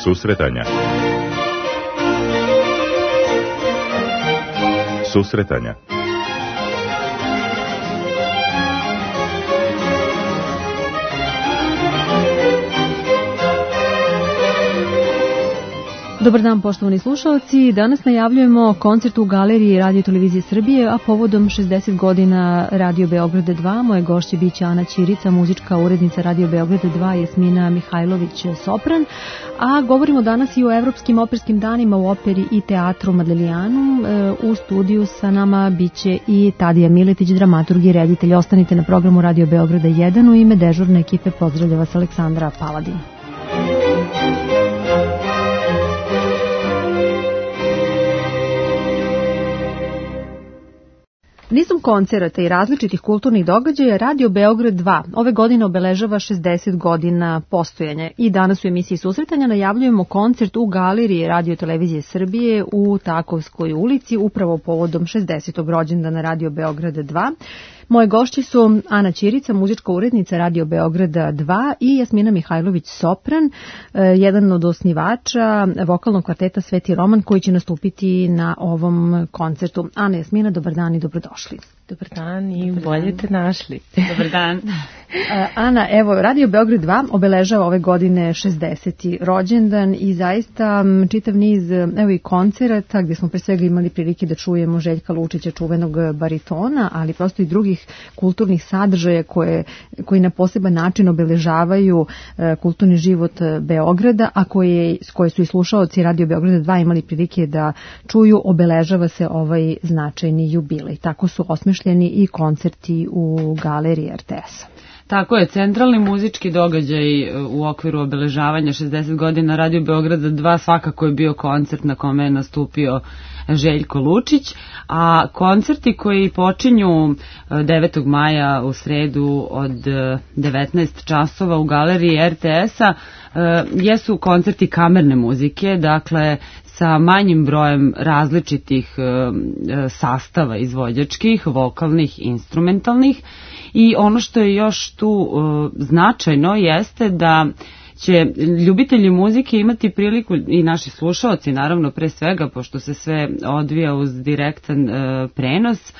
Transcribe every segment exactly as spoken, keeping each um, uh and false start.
Susretanja. Susretanja. Dobar dan, poštovani slušalci. Danas najavljujemo koncert u Galeriji Radio Televizije Srbije, a povodom šezdeset godina Radio Beograda dva. Moje gošće biće Ana Ćirica, muzička urednica Radio Beograda dva, Jasmina Mihajlović, sopran. A govorimo danas i o Evropskim operskim danima u operi i teatru Madelijanu. U studiju sa nama biće i Tadija Miletić, dramaturg i reditelj. Ostanite na programu Radio Beograda jedan. U ime dežurne ekipe pozdravlja vas Aleksandra Paladin. Nizom koncerata i različitih kulturnih događaja Radio Beograd dva ove godine obeležava šezdeset godina postojanja i danas u emisiji Susretanja najavljujemo koncert u Galeriji Radio Televizije Srbije u Takovskoj ulici upravo povodom šezdesetog rođendana Radio Beograda dva. Moje gošće su Ana Ćirica, muzička urednica Radio Beograda dva i Jasmina Mihajlović, sopran, jedan od osnivača vokalnog kvarteta Sveti Roman koji će nastupiti na ovom koncertu. Ana, Jasmina, dobar dan i dobrodošli. Dobar dan i dobar bolje dan. Te našli. Dobar dan. Ana, evo, Radio Beograd dva obeležava ove godine šezdeseti rođendan i zaista čitav niz, evo i koncerata gdje smo pre svega imali prilike da čujemo Željka Lučića, čuvenog baritona, ali prosto i drugih kulturnih sadržaja koje, koji na poseban način obeležavaju kulturni život Beograda, a koje, koje su i slušaoci Radio Beograda dva imali prilike da čuju, obeležava se ovaj značajni jubilej. Tako su osmišljeni i koncerti u Galeriji er te es-a. Tako je, centralni muzički događaj u okviru obeležavanja šezdeset godina Radio Beograda dva svakako je bio koncert na kome je nastupio Željko Lučić, a koncerti koji počinju devetog maja u sredu od devetnaest časova u Galeriji er te es-a jesu koncerti kamerne muzike, dakle sa manjim brojem različitih sastava izvođačkih, vokalnih, instrumentalnih. I ono što je još tu uh, značajno jeste da će ljubitelji muzike imati priliku, i naši slušaoci naravno pre svega, pošto se sve odvija uz direktan uh, prenos,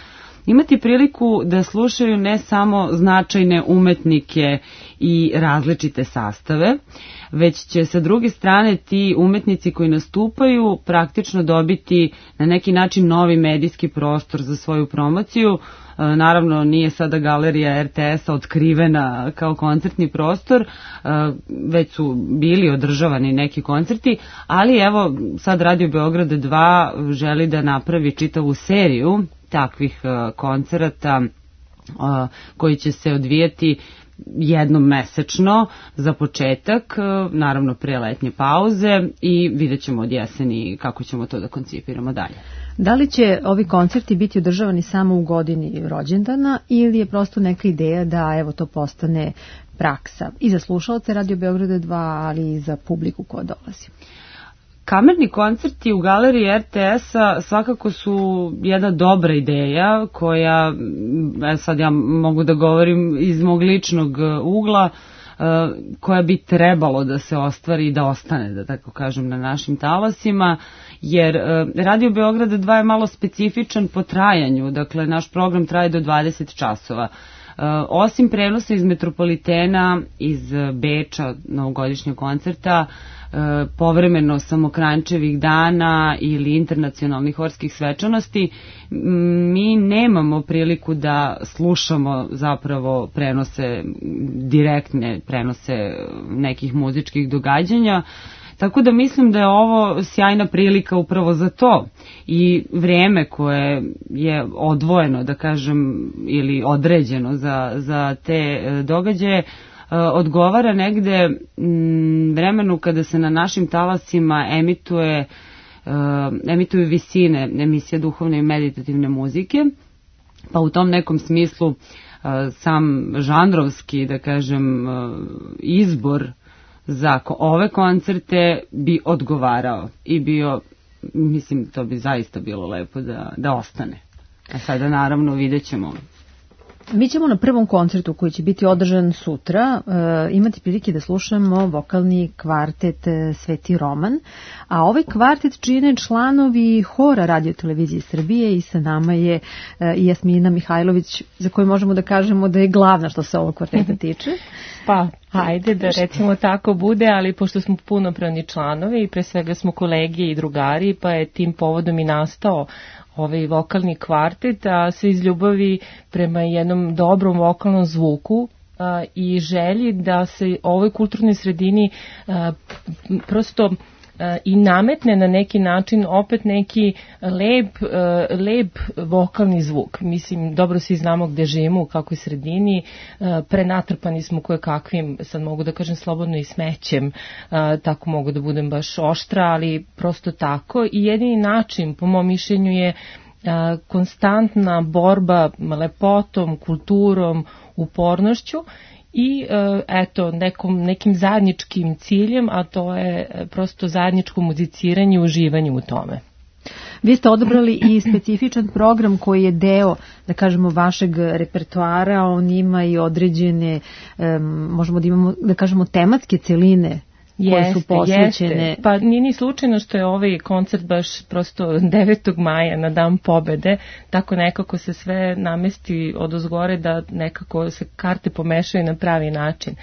imati priliku da slušaju ne samo značajne umetnike i različite sastave, već će sa druge strane ti umetnici koji nastupaju praktično dobiti na neki način novi medijski prostor za svoju promociju. Naravno, nije sada Galerija er te es-a otkrivena kao koncertni prostor, već su bili održavani neki koncerti, ali evo sad Radio Beograd dva želi da napravi čitavu seriju takvih koncerata koji će se odvijati jednom mesečno za početak, naravno pre letnje pauze, i vidjet ćemo od jeseni kako ćemo to da koncipiramo dalje. Da li će ovi koncerti biti održavani samo u godini rođendana ili je prosto neka ideja da evo to postane praksa i za slušalce Radio Beograda dva, ali i za publiku koja dolazi? Kamerni koncerti u Galeriji er te es-a svakako su jedna dobra ideja koja, sad ja mogu da govorim iz mog ličnog ugla, koja bi trebalo da se ostvari i da ostane, da tako kažem, na našim talasima, jer Radio Beograda dva je malo specifičan po trajanju, dakle naš program traje do dvadeset časova. Osim prenosa iz Metropolitena, iz Beča, novogodišnjeg koncerta, povremeno Samokrančevih dana ili internacionalnih horskih svečanosti, mi nemamo priliku da slušamo zapravo prenose, direktne prenose nekih muzičkih događanja, tako da mislim da je ovo sjajna prilika upravo za to i vreme koje je odvojeno, da kažem, ili određeno za, za te događaje, odgovara negde vremenu kada se na našim talasima emituje, emituju visine emisija duhovne i meditativne muzike, pa u tom nekom smislu sam žanrovski, da kažem, izbor za ove koncerte bi odgovarao i bio, mislim, to bi zaista bilo lepo da, da ostane. A sada naravno vidjet ćemo Mi ćemo na prvom koncertu koji će biti održan sutra uh, imati prilike da slušamo vokalni kvartet uh, Sveti Roman, a ovaj kvartet čine članovi hora Radio televizije Srbije i sa nama je uh, Jasmina Mihajlović, za koju možemo da kažemo da je glavna što se ovog kvarteta tiče. Pa, hajde da recimo tako bude, ali pošto smo punopravni članovi i pre svega smo kolege i drugari, pa je tim povodom i nastao ovaj vokalni kvartet, a sve iz ljubavi prema jednom dobrom vokalnom zvuku a, i želji da se ovoj kulturnoj sredini a, prosto a, i nametne na neki način opet neki lep, a, lep vokalni zvuk. Mislim, dobro svi znamo gde živimo, u kakvoj sredini, a, prenatrpani smo koje kakvim, sad mogu da kažem slobodno i smećem, a, tako mogu da budem baš oštra, ali prosto tako i jedini način, po mom mišljenju, je a, konstantna borba lepotom, kulturom, upornošću i eto nekom, nekim zajedničkim ciljem, a to je prosto zajedničko muziciranje i uživanje u tome. Vi ste odabrali i specifičan program koji je deo, da kažemo, vašeg repertoara, on ima i određene, um, možemo da imamo, da kažemo, tematske celine koje jeste, su posvećene. Jeste. Pa nije ni slučajno što je ovaj koncert baš prosto devetog maja na Dan pobede, tako nekako se sve namesti odozgore da nekako se karte pomešaju na pravi način.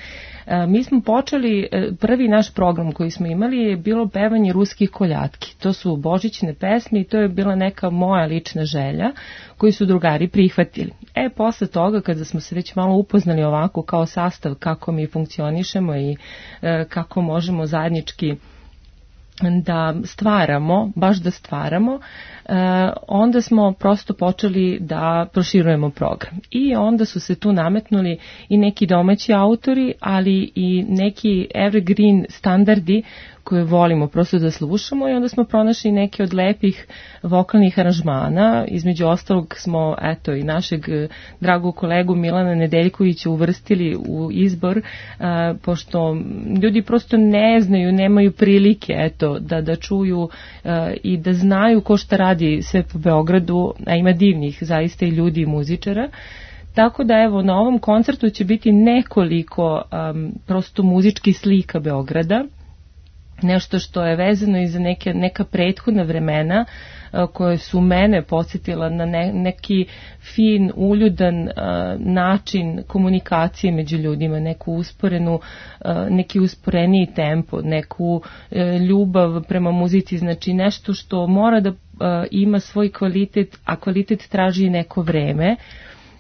E, mi smo počeli, prvi naš program koji smo imali je bilo pevanje ruskih koljatki. To su božićne pesme i to je bila neka moja lična želja koju su drugari prihvatili. E, posle toga, kada smo se već malo upoznali ovako kao sastav kako mi funkcionišemo i e, kako možemo zajednički da stvaramo, baš da stvaramo, e, onda smo prosto počeli da proširujemo program. I onda su se tu nametnuli i neki domaći autori, ali i neki evergreen standardi koje volimo prosto da slušamo i onda smo pronašli neke od lepih vokalnih aranžmana. Između ostalog smo, eto, i našeg dragog kolegu Milana Nedeljkovića uvrstili u izbor, a, pošto ljudi prosto ne znaju, nemaju prilike, eto, da, da čuju a, i da znaju ko šta radi sve po Beogradu, a ima divnih zaista i ljudi i muzičara. Tako da evo na ovom koncertu će biti nekoliko um, prosto muzičkih slika Beograda, nešto što je vezano i za neke, neka prethodna vremena uh, koje su mene podsjetila na ne, neki fin, uljudan uh, način komunikacije među ljudima, neku usporenu, uh, neki usporeniji tempo, neku uh, ljubav prema muzici, znači nešto što mora da uh, ima svoj kvalitet, a kvalitet traži neko vreme.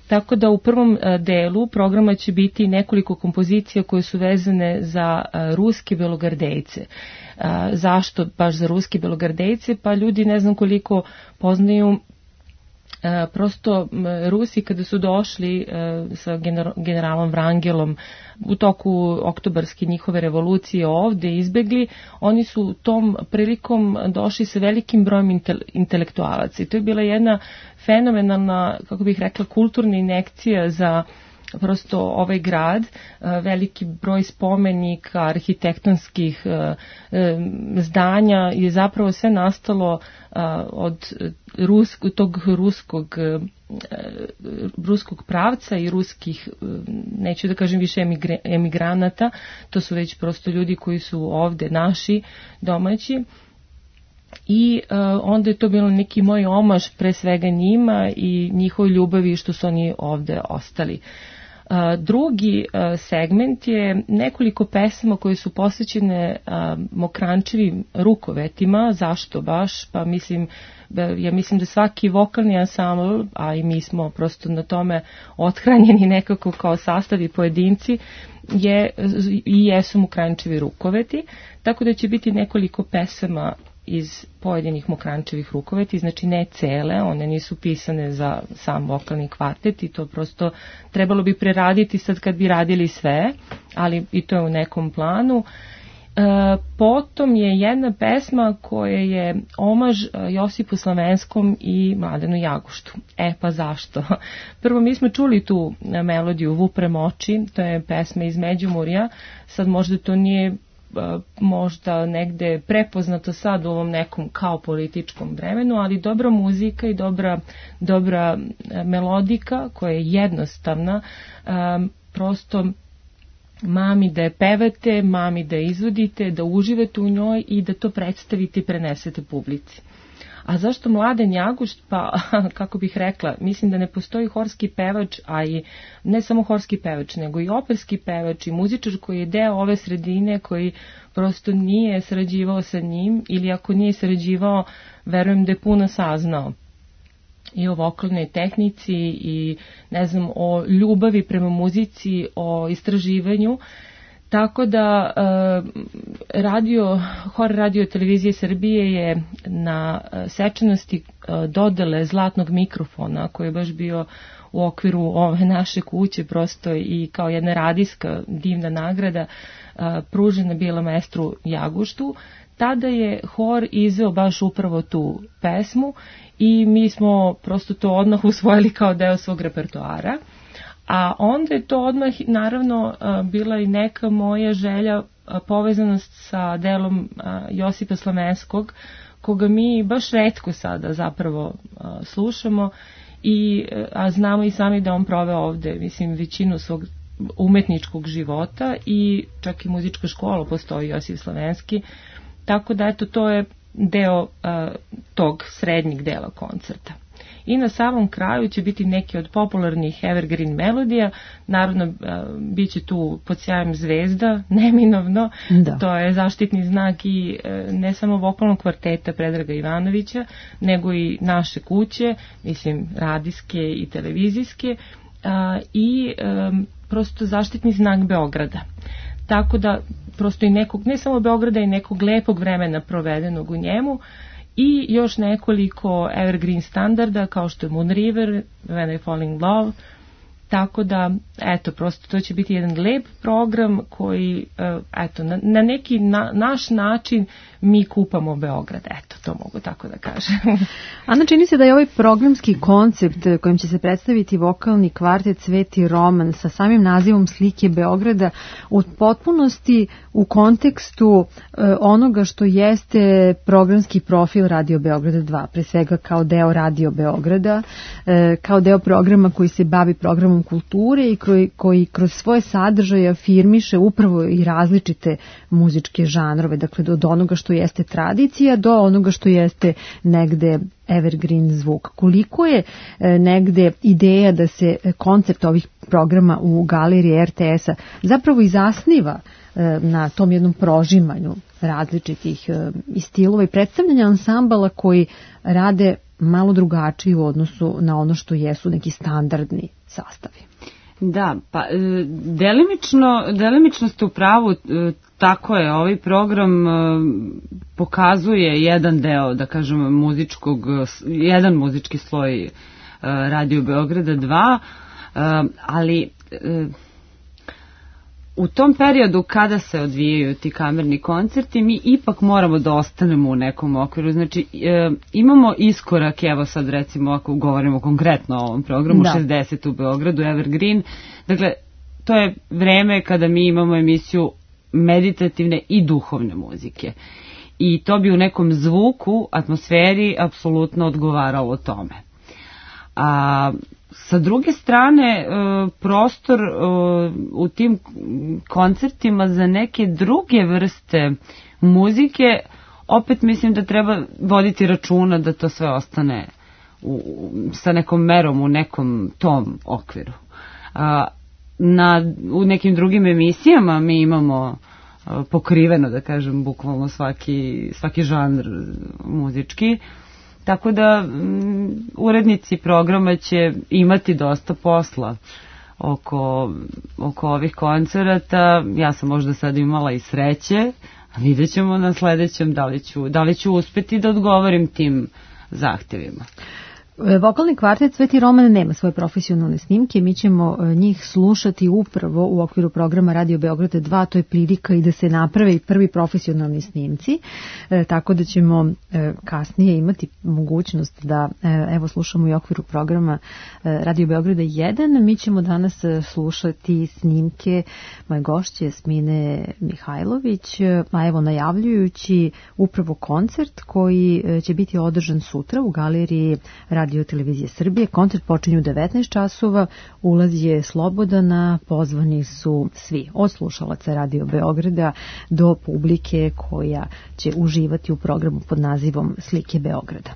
Tako da u prvom delu programa će biti nekoliko kompozicija koje su vezane za ruske belogardejce. Zašto baš za ruske belogardejce? Pa ljudi ne znam koliko poznaju prosto Rusi kada su došli sa generalom Vrangelom u toku oktobarske njihove revolucije ovde izbegli, oni su tom prilikom došli sa velikim brojem intelektualaca i to je bila jedna fenomenalna, kako bih rekla, kulturna injekcija za prosto ovaj grad, veliki broj spomenika, arhitektonskih zdanja je zapravo sve nastalo od rusk, tog ruskog ruskog pravca i ruskih, neću da kažem više emigranata, to su već prosto ljudi koji su ovde naši, domaći. I uh, onda je to bilo neki moj omaž pre svega njima i njihovoj ljubavi što su oni ovde ostali. Uh, drugi uh, segment je nekoliko pesama koje su posvećene uh, Mokrančevim rukovetima. Zašto baš? Pa mislim, ja mislim da svaki vokalni ansambl, a i mi smo prosto na tome othranjeni nekako kao sastav i pojedinci, je, i jesu Mokrančevi rukoveti, tako da će biti nekoliko pesama iz pojedinih Mokrančevih rukoveti, znači ne cele, one nisu pisane za sam vokalni kvartet i to prosto trebalo bi preraditi sad kad bi radili sve, ali i to je u nekom planu. E, potom je jedna pesma koja je omaž Josipu Slavenskom i Mladenu Jaguštu. E pa zašto? Prvo mi smo čuli tu melodiju Vuprem oči, to je pesma iz Međimurja, sad možda to nije možda negde prepoznato sad u ovom nekom kao političkom vremenu, ali dobra muzika i dobra, dobra melodika koja je jednostavna, prosto mami da je pevate, mami da je izvodite, da uživate u njoj i da to predstavite i prenesete publici. A zašto Mladen Jagušt? Pa, kako bih rekla, mislim da ne postoji horski pevač, a i ne samo horski pevač, nego i operski pevač i muzičar koji je deo ove sredine, koji prosto nije sarađivao sa njim, ili ako nije sarađivao, verujem da je puno saznao i o vokalnoj tehnici i, ne znam, o ljubavi prema muzici, o istraživanju. Tako da radio, Hor radio televizije Srbije je na svečanosti dodele zlatnog mikrofona, koji je baš bio u okviru ove naše kuće, prosto i kao jedna radijska divna nagrada, pružena bila maestru Jaguštu. Tada je hor izveo baš upravo tu pesmu i mi smo prosto to odmah usvojili kao deo svog repertoara. A onda je to odmah, naravno, bila i neka moja želja, povezanost sa delom Josipa Slamenskog, koga mi baš retko sada zapravo slušamo, i, a znamo i sami da on proveo ovde, mislim, većinu svog umetničkog života i čak i muzička škola postoji, Josip Slamenski, tako da eto, to je deo tog srednjeg dela koncerta. I na samom kraju će biti neki od popularnih evergreen melodija, naravno bit će tu Pod sjajem zvezda, neminovno, da. To je zaštitni znak i ne samo vokalnog kvarteta Predraga Ivanovića, nego i naše kuće, mislim radijske i televizijske, i prosto zaštitni znak Beograda. Tako da prosto i nekog, ne samo Beograda, i nekog lepog vremena provedenog u njemu, i još nekoliko evergreen standarda kao što je Moon River, When I Fall in Love, tako da, eto, prosto to će biti jedan lep program koji, eto, na, na neki na, naš način mi kupamo Beograd, eto, to mogu tako da kažem. Ana, čini se da je ovaj programski koncept kojim će se predstaviti vokalni kvartet Sveti roman sa samim nazivom Slike Beograda u potpunosti u kontekstu e, onoga što jeste programski profil Radio Beograda dva, pre svega kao deo Radio Beograda, e, kao deo programa koji se bavi programom kulture i koji, koji kroz svoje sadržaje afirmiše upravo i različite muzičke žanrove, dakle od onoga što jeste tradicija do onoga što jeste negde evergreen zvuk. Koliko je e, negde ideja da se koncept ovih programa u galeriji er te es-a zapravo i zasniva e, na tom jednom prožimanju različitih e, i stilova i predstavljanja ansambala koji rade malo drugačiji u odnosu na ono što jesu neki standardni sastavi. Da, pa delimično, delimično ste u pravu, tako je, ovaj program pokazuje jedan deo, da kažem, muzičkog, jedan muzički sloj Radio Beograda dva, ali u tom periodu kada se odvijaju ti kamerni koncerti, mi ipak moramo da ostanemo u nekom okviru. Znači, e, imamo iskorak, evo sad recimo ako govorimo konkretno o ovom programu, da. šezdeset u Beogradu, Evergreen. Dakle, to je vreme kada mi imamo emisiju meditativne i duhovne muzike. I to bi u nekom zvuku, atmosferi, apsolutno odgovaralo tome. A sa druge strane, prostor u tim koncertima za neke druge vrste muzike, opet mislim da treba voditi računa da to sve ostane u, sa nekom merom u nekom tom okviru. Na, u nekim drugim emisijama mi imamo pokriveno, da kažem, bukvalno svaki, svaki žanr muzički. Tako da m, urednici programa će imati dosta posla oko, oko ovih koncerata. Ja sam možda sad imala i sreće, a vidjet ćemo na sledećem da li ću, da li ću uspeti da odgovorim tim zahtjevima. Vokalni kvartet Sveti Roman nema svoje profesionalne snimke, mi ćemo njih slušati upravo u okviru programa Radio Beograd dva, to je prilika i da se naprave i prvi profesionalni snimci, e, tako da ćemo e, kasnije imati mogućnost da e, evo slušamo i u okviru programa e, Radio Beograda jedan. Mi ćemo danas slušati snimke moje gošće Jasmine Mihajlović, a evo najavljujući upravo koncert koji će biti održan sutra u galeriji Radio Televizije Srbije. Koncert počinje u devetnaest časova, ulaz je slobodan, a pozvani su svi, od slušalaca Radio Beograda do publike koja će uživati u programu pod nazivom Slike Beograda.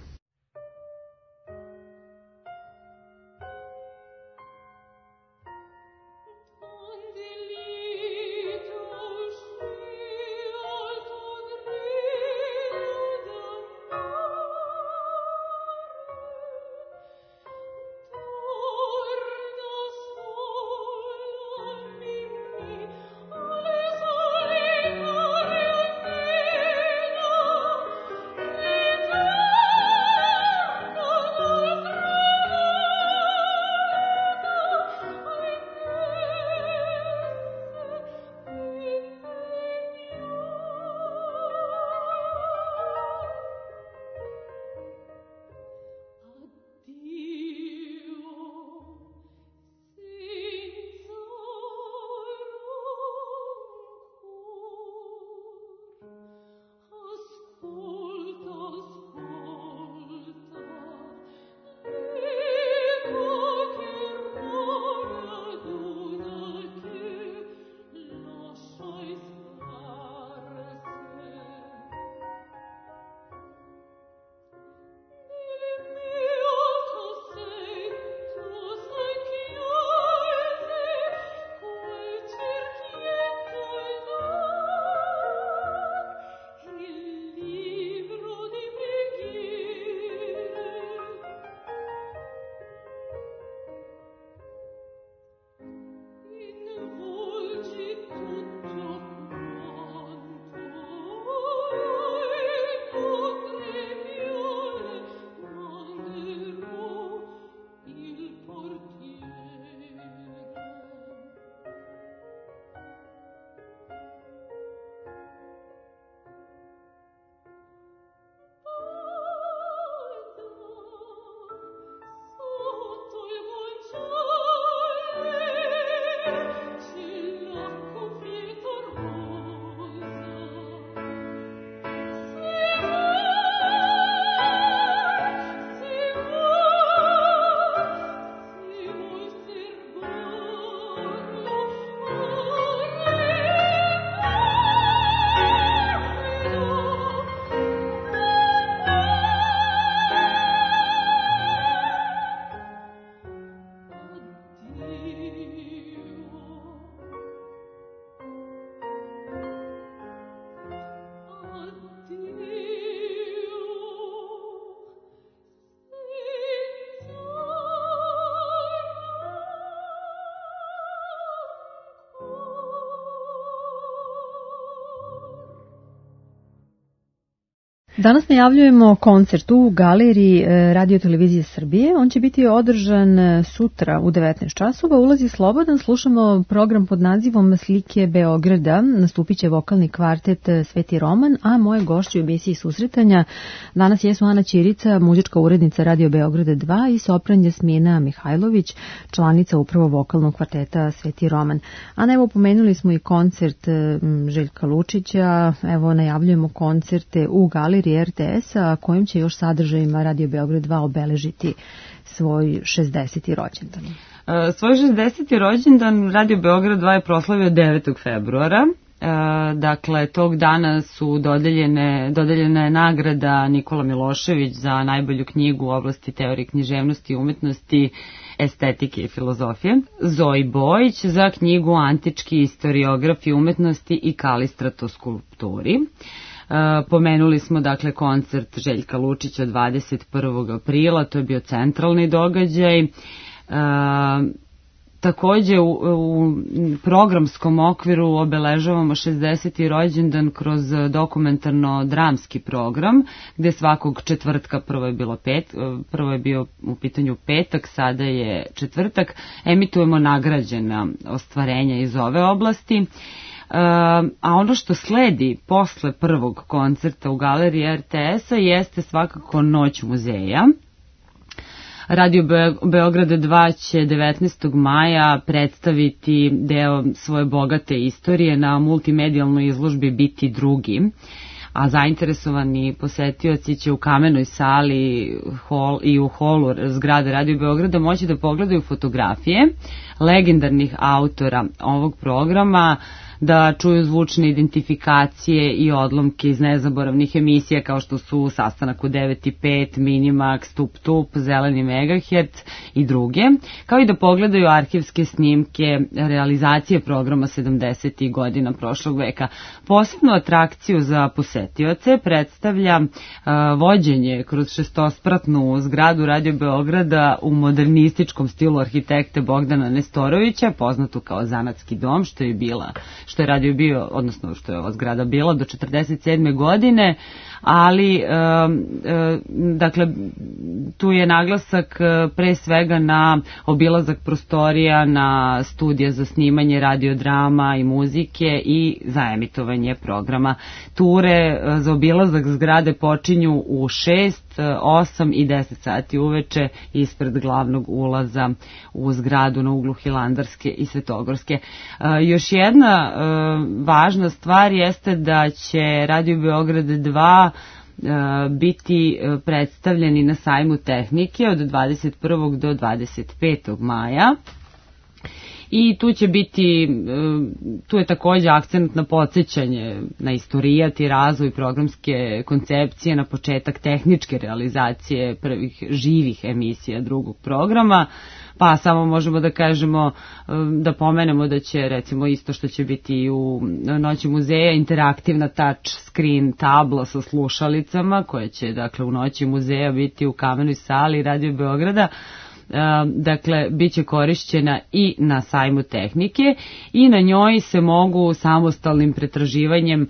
Danas najavljujemo koncert u galeriji Radio Televizije Srbije. On će biti održan sutra u devetnaest časova. Ulaz je slobodan. Slušamo program pod nazivom Slike Beograda. Nastupit će vokalni kvartet Sveti Roman, a moje gošće u emisiji susretanja danas jesu Ana Ćirica, muzička urednica Radio Beograda dva i sopran Jasmina Mihajlović, članica upravo vokalnog kvarteta Sveti Roman. Ana, evo pomenuli smo i koncert Željka Lučića. Evo najavljujemo koncerte u galeriji R T S-a, kojim će još sadržajima Radio Beograd dva obeležiti svoj šezdeseti rođendan. Uh, svoj šezdeseti rođendan Radio Beograd dva je proslavio devetog februara. Uh, dakle, tog dana su dodeljene, dodeljena je nagrada Nikola Milošević za najbolju knjigu u oblasti teorije književnosti i umetnosti, estetike i filozofije, Zoji Bojić za knjigu Antički istoriografi umetnosti i kalistratoskulpturi. Uh, pomenuli smo dakle koncert Željka Lučića dvadeset prvog aprila, to je bio centralni događaj. Uh, takođe u, u programskom okviru obeležavamo šezdeseti rođendan kroz dokumentarno-dramski program, gde svakog četvrtka, prvo je bilo pet, prvo je bio u pitanju petak, sada je četvrtak, emitujemo nagrađena ostvarenja iz ove oblasti. A ono što sledi posle prvog koncerta u galeriji er te es-a jeste svakako Noć muzeja. Radio Beograd dva će devetnaestog maja predstaviti deo svoje bogate istorije na multimedijalnoj izložbi Biti drugi, a zainteresovani posetioci će u kamenoj sali hol, i u holu zgrade Radio Beograda moći da pogledaju fotografije legendarnih autora ovog programa, da čuju zvučne identifikacije i odlomke iz nezaboravnih emisija kao što su Sastanak u devet i pet, Minimax, Tup Tup, Zeleni megaherc i druge, kao i da pogledaju arhivske snimke realizacije programa sedamdesetih godina prošlog veka. Posebnu atrakciju za posetioce predstavlja uh, vođenje kroz šestospratnu zgradu Radio Beograda u modernističkom stilu arhitekte Bogdana Nestorovića, poznatu kao Zanatski dom, što je bila što je radio bio, odnosno što je ova zgrada bila do četrdeset sedme godine, ali e, e, dakle tu je naglasak pre svega na obilazak prostorija, na studije za snimanje radiodrama i muzike i za emitovanje programa. Ture za obilazak zgrade počinju u šest, osam i deset sati uveče ispred glavnog ulaza u zgradu na uglu Hilandarske i Svetogorske. E, još jedna e, važna stvar jeste da će Radio Beograd dva biti predstavljeni na sajmu tehnike od dvadeset prvog do dvadeset petog maja. I tu će biti, tu je takođe akcent na podsjećanje na istorijat i razvoj programske koncepcije, na početak tehničke realizacije prvih živih emisija drugog programa, pa samo možemo da kažemo, da pomenemo da će recimo isto što će biti u Noći muzeja, interaktivna touch screen tabla sa slušalicama koja će dakle u Noći muzeja biti u kamenoj sali Radio Beograda. Dakle, bit će korišćena i na sajmu tehnike i na njoj se mogu samostalnim pretraživanjem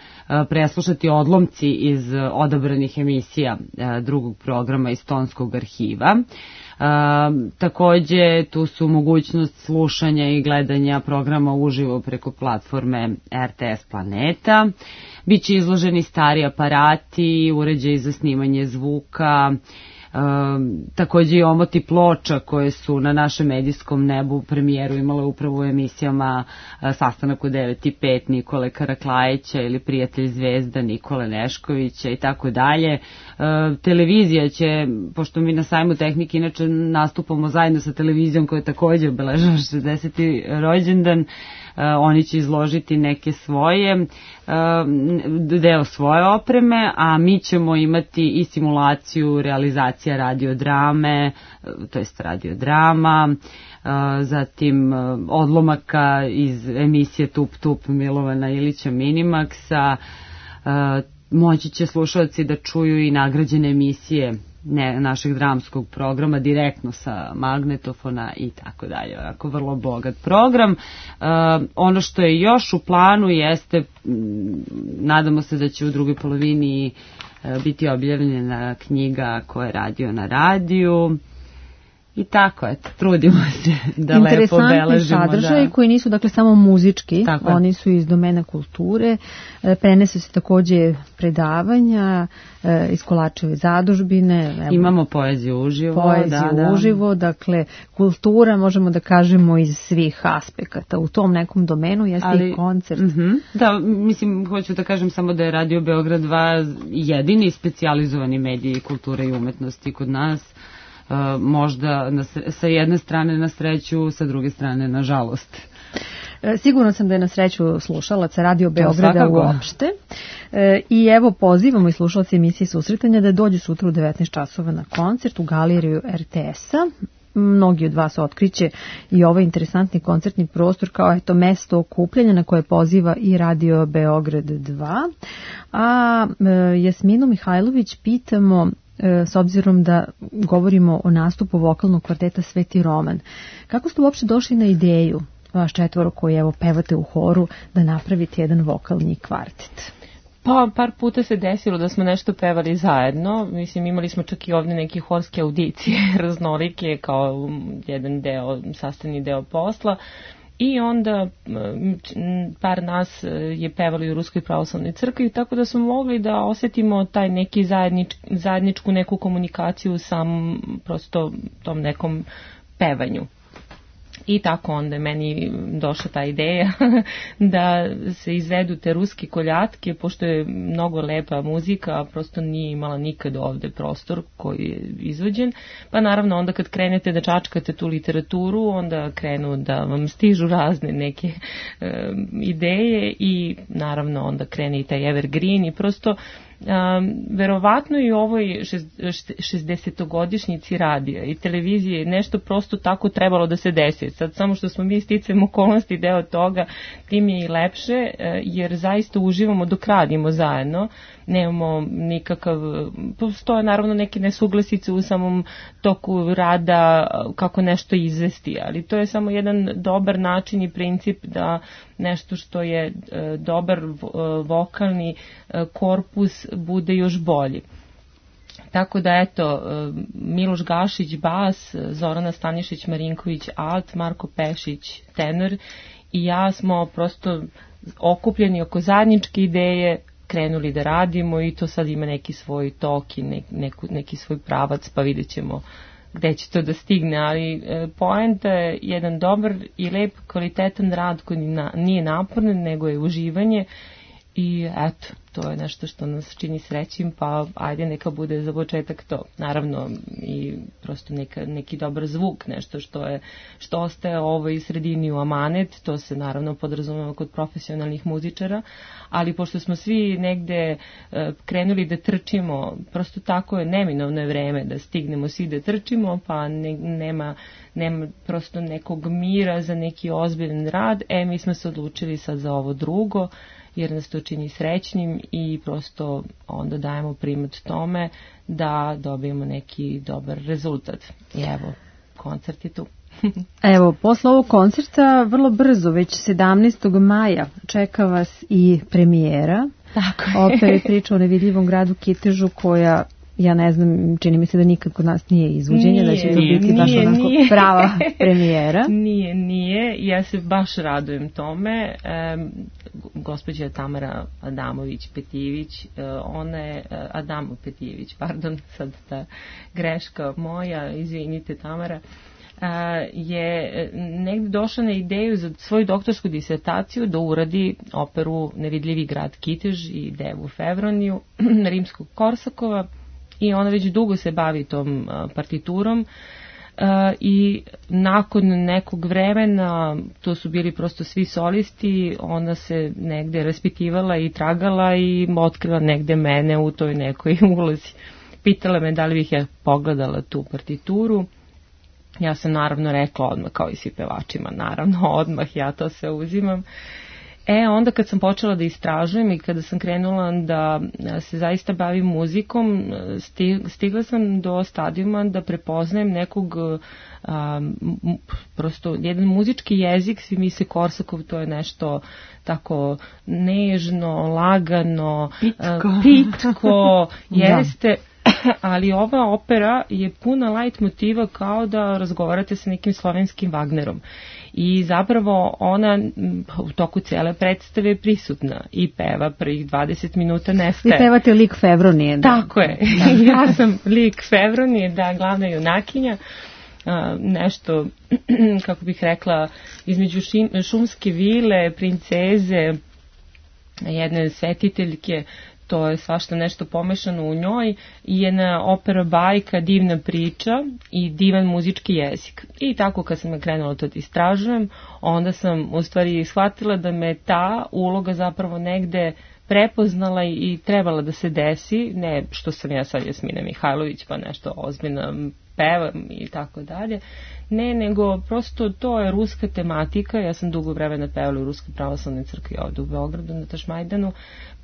preslušati odlomci iz odabranih emisija drugog programa iz Tonskog arhiva. Takođe, tu su mogućnost slušanja i gledanja programa uživo preko platforme er te es Planeta. Biće izloženi stari aparati, uređaji za snimanje zvuka, Uh, takođe i omoti ploča koje su na našem medijskom nebu premijeru imale upravo u emisijama uh, Sastanak u devet i pet Nikole Karaklajića ili Prijatelj zvezda Nikole Neškovića i tako dalje. Televizija će, pošto mi na sajmu tehnike inače nastupamo zajedno sa televizijom koja takođe obeležava šezdeseti rođendan, uh, oni će izložiti neke svoje, uh, deo svoje opreme, a mi ćemo imati i simulaciju realizacije radiodrame, to jest radiodrama, zatim odlomaka iz emisije Tup Tup Milovana Ilića Minimaxa. Moći će slušalci da čuju i nagrađene emisije ne, našeg dramskog programa direktno sa magnetofona i tako dalje. Onako vrlo bogat program. Uh, ono što je još u planu jeste, m, nadamo se da će u drugoj polovini uh, biti objavljena knjiga koja je radio na radiju. I tako, eto, trudimo se da lepo obeležimo. Interesantni sadržaj da. koji nisu dakle samo muzički, tako oni su iz domena kulture, prenese se takođe predavanja iz Kolačeve zadužbine. Evo, imamo poeziju uživo. Poeziju da, da. uživo, dakle kultura možemo da kažemo iz svih aspekata. U tom nekom domenu jeste Ali, i koncert. Uh-huh. Da, mislim, hoću da kažem samo da je Radio Beograd dva jedini specijalizovani mediji kulture i umetnosti kod nas. Uh, možda na, sa jedne strane na sreću, sa druge strane na žalost. Sigurno sam da je na sreću slušalaca Radio Beograda uopšte. E, I evo pozivamo i slušalci emisije Susretanja da dođu sutra u devetnaest časova na koncert u galeriju er te es-a. Mnogi od vas otkriće i ovaj interesantni koncertni prostor kao eto mesto okupljanja na koje poziva i Radio Beograd dva. A e, Jasminu Mihajlović pitamo s obzirom da govorimo o nastupu vokalnog kvarteta Sveti Roman. Kako ste uopšte došli na ideju, vaš četvoro koji evo pevate u horu, da napravite jedan vokalni kvartet? Pa, par puta se desilo da smo nešto pevali zajedno. Mislim, imali smo čak i ovdje neke horske audicije raznolike kao jedan deo, sastavni deo posla. I onda par nas je pevali u Ruskoj pravoslavnoj crkvi, tako da smo mogli da osjetimo taj neki zajednič, zajedničku neku komunikaciju u samom prosto tom nekom pevanju. I tako onda je meni došla ta ideja da se izvedu te ruske koljatke, pošto je mnogo lepa muzika, a prosto nije imala nikad ovde prostor koji je izvođen. Pa naravno onda kad krenete da čačkate tu literaturu, onda krenu da vam stižu razne neke e, ideje i naravno onda krene i taj evergreen i prosto Um, verovatno i u ovoj šezdesetogodišnjici radija i televizije nešto prosto tako trebalo da se desi. Sad samo što smo mi sticam okolnosti deo toga, tim je i lepše, jer zaista uživamo dok radimo zajedno. Nemamo nikakav, postoje naravno neke nesuglasice u samom toku rada kako nešto izvesti, ali to je samo jedan dobar način i princip da nešto što je dobar vokalni korpus bude još bolji. Tako da eto, Miloš Gašić bas, Zorana Stanišić Marinković alt, Marko Pešić tenor i ja smo prosto okupljeni oko zajedničke ideje, krenuli da radimo i to sad ima neki svoj tok i ne, neku, neki svoj pravac, pa vidjet ćemo gde će to da stigne, ali e, poenta je jedan dobar i lep kvalitetan rad koji na, nije naporan, nego je uživanje i eto, to je nešto što nas čini srećim, pa ajde neka bude za početak to. Naravno i prosto neka, neki dobar zvuk, nešto što je što ostaje ovoj sredini u amanet, to se naravno podrazumeva kod profesionalnih muzičara, ali pošto smo svi negde e, krenuli da trčimo, prosto tako je neminovno je vreme da stignemo svi da trčimo, pa ne, nema, nema prosto nekog mira za neki ozbiljan rad, e mi smo se odlučili sad za ovo drugo, jer nas to čini srećnim i prosto onda dajemo primat tome da dobijemo neki dobar rezultat. I evo, koncert je tu. Evo, posle ovog koncerta vrlo brzo, već sedamnaestog maja, čeka vas i premijera. Tako je. Opere Priča o nevidljivom gradu Kitežu, koja, ja ne znam, čini mi se da nikad kod nas nije izvođenje, nije, da će to nije, biti baš nije, onako nije. prava premijera. Nije, nije, ja se baš radujem tome. E, gospođa Tamara Adamović-Petijević, e, ona je, Adamo Petijević, pardon, sad ta greška moja, izvinite Tamara, e, je negde došla na ideju za svoju doktorsku disertaciju da uradi operu Nevidljivi grad Kitež i Devu Fevroniju rimskog Korsakova. I ona već dugo se bavi tom uh, partiturom uh, i nakon nekog vremena, to su bili prosto svi solisti, ona se negde raspitivala i tragala i otkrila negde mene u toj nekoj ulozi. Pitala me da li bih ja pogledala tu partituru. Ja sam naravno rekla odmah, kao i svi pevačima, naravno odmah, ja to sve uzimam. E, onda kad sam počela da istražujem i kada sam krenula da se zaista bavim muzikom, stigla sam do stadijuma da prepoznajem nekog, a, prosto jedan muzički jezik, svi misle Korsakov, to je nešto tako nežno, lagano, pitko, pitko jeste, ali ova opera je puna light motiva kao da razgovarate sa nekim slovenskim Wagnerom. I zapravo ona u toku cele predstave je prisutna i peva prvih dvadeset minuta nestaje. Vi pevate lik Fevronije. Da. Tako je. Ja sam lik Fevronije, da, glavna junakinja. A, nešto, kako bih rekla, između šim, šumske vile, princeze, jedne svetiteljke, to je svašta nešto pomešano u njoj i jedna opera bajka, divna priča i divan muzički jezik. I tako kad sam krenula to da istražujem, onda sam u stvari shvatila da me ta uloga zapravo negde prepoznala i trebala da se desi, ne što sam ja sad Jasmina Mihajlović pa nešto ozbiljna pevam i tako dalje. Ne, nego prosto to je ruska tematika. Ja sam dugo vremena pevala u Ruskoj pravoslavnoj crkvi ovde u Beogradu na Tašmajdanu,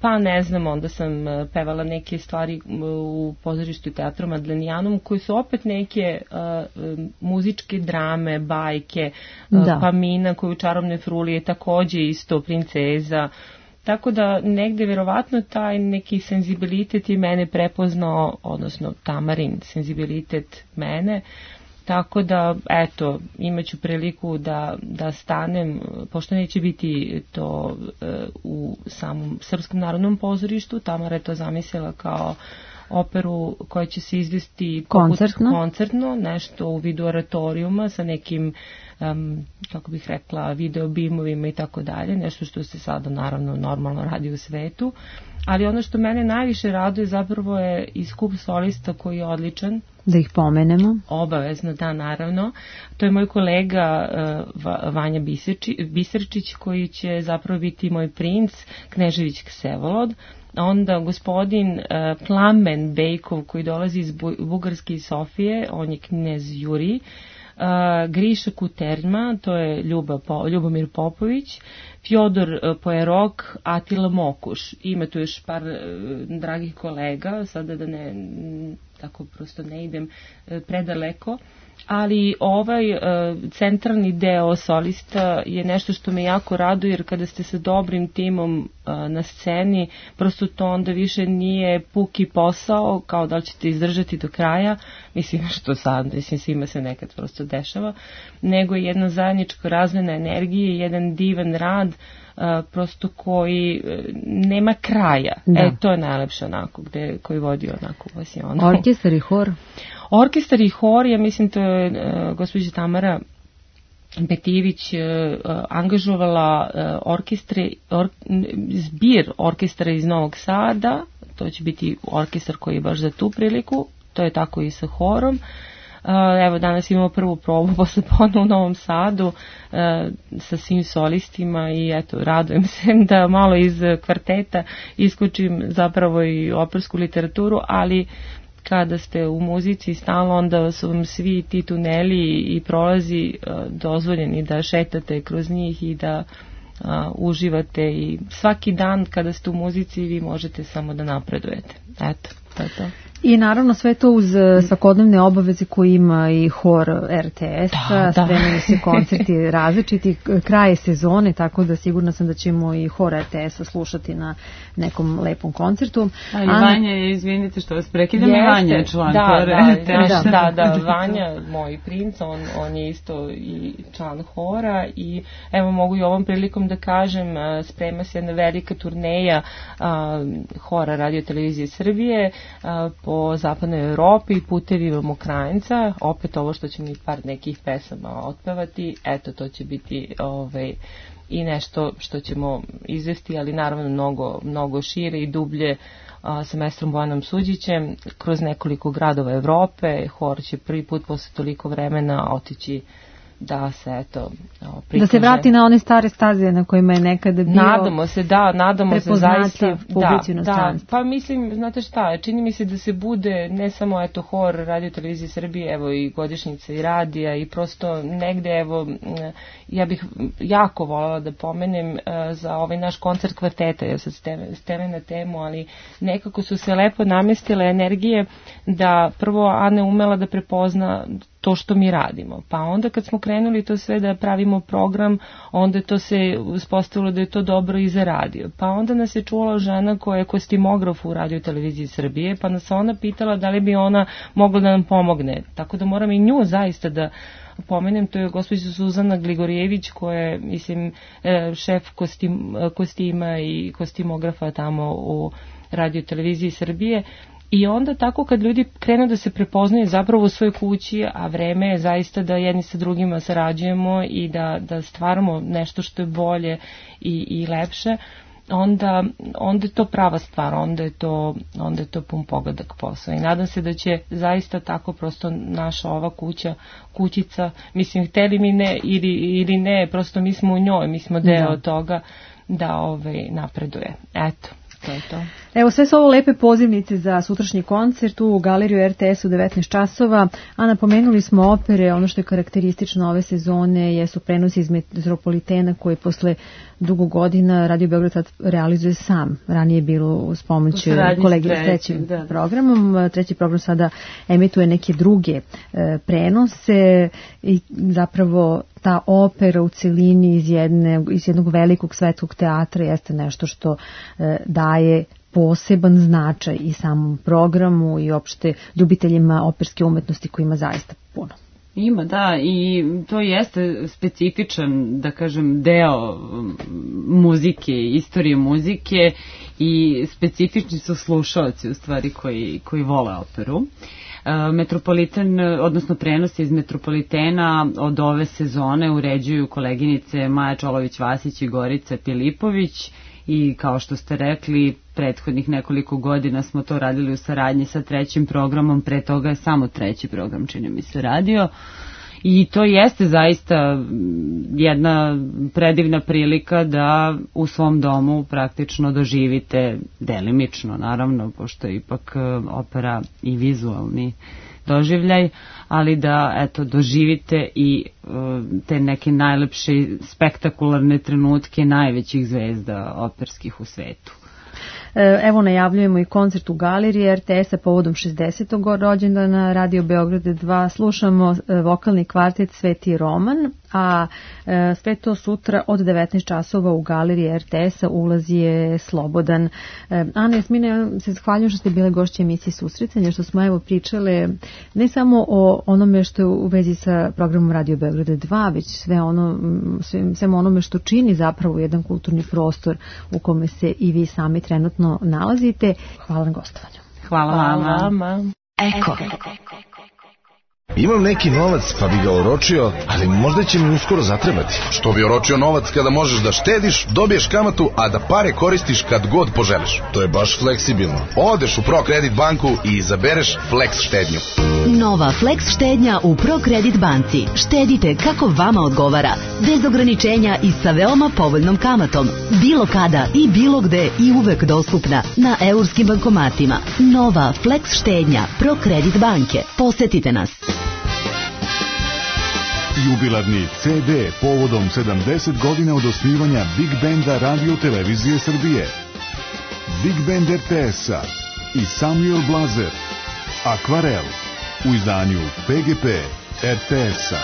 pa ne znam, onda sam pevala neke stvari u pozorištu i teatru Madlenijanum, koji su opet neke uh, muzičke drame, bajke, uh, pa Mina koja u Čarobnoj fruli je takođe isto princeza. Tako da negde verovatno taj neki senzibilitet i mene prepoznao, odnosno Tamarin senzibilitet mene. Tako da, eto, imaću priliku da, da stanem, pošto neće biti to e, u samom Srpskom narodnom pozorištu, Tamara je to zamislila kao operu koja će se izvesti koncertno, koncertno nešto u vidu oratorijuma sa nekim, um, kako bih rekla, video bimovima i tako dalje, nešto što se sada naravno normalno radi u svetu. Ali ono što mene najviše raduje zapravo je i skup solista koji je odličan. Da ih pomenemo. Obavezno, da, naravno. To je moj kolega uh, Vanja Biserčić koji će zapravo biti moj princ, Knežević Ksevolod. Onda gospodin uh, Plamen Bejkov koji dolazi iz Bu- Bugarske i Sofije, on je knez Juri. Uh, Griša Kuterma, to je Ljuba po, Ljubomir Popović, Fjodor uh, Pojerok, Atila Mokuš. Ima tu još par uh, dragih kolega, sada da ne, tako prosto ne idem uh, predaleko, ali ovaj uh, centralni deo solista je nešto što me jako raduje, jer kada ste sa dobrim timom uh, na sceni, prosto to onda više nije puki posao, kao da li ćete izdržati do kraja, mislim što sad, mislim svima se nekad prosto dešava, nego je jedna zajednička razmena energije, jedan divan rad, uh, prosto koji uh, nema kraja. Da. E, to je najlepše onako, gde, koji vodi onako vas je ono. Orkestar i hor? Orkestar i hor, ja mislim to je uh, gospođa Tamara Betivić uh, angažovala uh, orkestre, or, zbir orkestra iz Novog Sada, to će biti orkestar koji je baš za tu priliku, to je tako i sa horom. Uh, evo danas imamo prvu probu posle podne u Novom Sadu uh, sa svim solistima i eto radujem se da malo iz kvarteta iskočim zapravo i opersku literaturu, ali kada ste u muzici stalno, onda su vam svi ti tuneli i prolazi uh, dozvoljeni da šetate kroz njih i da uh, uživate, i svaki dan kada ste u muzici vi možete samo da napredujete. Eto, to je to. I naravno sve to uz svakodnevne obaveze koje ima i hor er te es, da, spremaju se koncerti različiti, kraje sezone, tako da sigurna sam da ćemo i hor er te es slušati na nekom lepom koncertu. Ali An... Vanja je, izvinite što vas prekidam, i Vanja je član da, hor er te es. Da, da, da, Vanja, moj princ, on, on je isto i član hora i evo mogu i ovom prilikom da kažem, sprema se jedna velika turneja a, hora Radio Televizije Srbije a, po zapadnoj Evropi, putevima Mokranjca, opet ovo što će mi par nekih pesama otpevati, eto to će biti ovaj, i nešto što ćemo izvesti, ali naravno mnogo, mnogo šire i dublje a, sa maestrom Bojanom Suđićem kroz nekoliko gradova Evrope. Hor će prvi put posle toliko vremena otići da se eto prikaže. Da se vrati na one stare staze na kojima je nekada bio. Nadamo se, da, nadamo se zaista. Da, da, pa mislim, znate šta, čini mi se da se bude ne samo eto hor Radio Televizije Srbije, evo i godišnjica i radija i prosto negde evo ja bih jako voljela da pomenem uh, za ovaj naš koncert kvarteta, jer sad steve na temu, ali nekako su se lepo namestile energije da prvo Ana umela da prepozna to što mi radimo. Pa onda kad smo krenuli to sve da pravimo program, onda to se uspostavilo da je to dobro i za radio. Pa onda nas je čula žena koja je kostimograf u Radio Televiziji Srbije, pa nas ona pitala da li bi ona mogla da nam pomogne. Tako da moram i nju zaista da pomenem, to je gospođa Suzana Gligorijević koja je, mislim, šef kostim, kostima i kostimografa tamo u Radio Televiziji Srbije. I onda tako kad ljudi krenu da se prepoznaju zapravo u svojoj kući, a vreme je zaista da jedni sa drugima sarađujemo i da, da stvaramo nešto što je bolje i, i lepše, onda, onda je to prava stvar, onda je to, onda je to pun pogodak posao. I nadam se da će zaista tako prosto naša ova kuća, kućica, mislim, hteli mi ne ili, ili ne, prosto mi smo u njoj, mi smo deo da. toga da ovaj, napreduje. Eto, to je to. Evo, sve su ovo lepe pozivnice za sutrašnji koncert u galeriju R T S u devetnaest časova, a napomenuli smo opere, ono što je karakteristično ove sezone jesu prenosi iz Metropolitena koji posle dugo godina Radio Beograd sad realizuje sam. Ranije je bilo s pomoću kolege s trećim da. programom. Treći program sada emituje neke druge e, prenose i zapravo ta opera u celini iz, jedne, iz jednog velikog svetskog teatra jeste nešto što e, daje poseban značaj i samom programu i opšte ljubiteljima operske umetnosti koji ima zaista puno. Ima, da, i to jeste specifičan, da kažem, deo muzike, istorije muzike i specifični su slušaoci u stvari koji, koji vole operu. Metropoliten, odnosno prenosi iz Metropolitena od ove sezone uređuju koleginice Maja Čolović-Vasić i Gorica Pilipović i kao što ste rekli, prethodnih nekoliko godina smo to radili u saradnji sa trećim programom, pre toga je samo treći program, čini mi se, radio. I to jeste zaista jedna predivna prilika da u svom domu praktično doživite, delimično naravno, pošto je ipak opera i vizualni doživljaj, ali da eto doživite i uh, te neke najlepše spektakularne trenutke najvećih zvezda operskih u svetu. Evo najavljujemo i koncert u galeriji R T S-a povodom šezdesetog rođendana Radio Beograd dva. Slušamo vokalni kvartet Sveti Roman, a sve to sutra od devetnaest časova u galeriji R T S-a, ulaz je slobodan. Ana, Jasmine, se zahvaljujem što ste bile gošće emisije Susretanja, što smo evo pričale ne samo o onome što je u vezi sa programom Radio Beograd dva, već sve ono, sve, sve onome što čini zapravo jedan kulturni prostor u kome se i vi sami trenutno nalazite. Hvala na gostovanju. Hvala, Hvala vama. Eko. Imam neki novac pa bi ga oročio, ali možda će mi uskoro zatrebati. Što bi oročio novac kada možeš da štediš, dobiješ kamatu, a da pare koristiš kad god poželiš? To je baš fleksibilno. Odeš u ProKredit banku i izabereš Flex štednju. Nova Flex štednja u ProKredit banci. Štedite kako vama odgovara, bez ograničenja i sa veoma povoljnom kamatom. Bilo kada i bilo gde i uvek dostupna na eurskim bankomatima. Nova Flex štednja ProKredit banke. Posetite nas. Jubilarni C D povodom sedamdeset godina od osnivanja Big Benda Radio Televizije Srbije. Big Band R T S-a i Samuel Blazer. Akvarel u izdanju P G P R T S-a.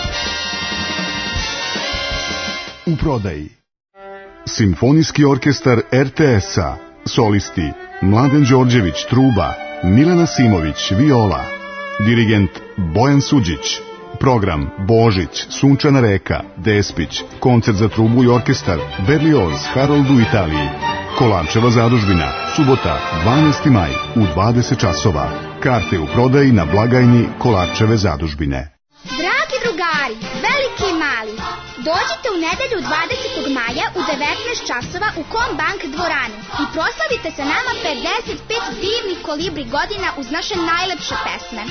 U prodaji Simfonijski orkestar R T S-a. Solisti Mladen Đorđević truba, Milena Simović viola, dirigent Bojan Suđić. Program Božić, Sunčana reka, Despić, koncert za trubu i orkestar, Berlioz, Harold u Italiji. Kolarčeva zadužbina, subota, dvanaesti maj u dvadeset časova. Karte u prodaji na blagajni Kolarčeve zadužbine. Dragi drugari, veliki i mali, dođite u nedelju dvadesetog maja u devetnaest časova u Kombank dvoranu i proslavite sa nama pedeset pet divnih kolibri godina uz naše najlepše pesme.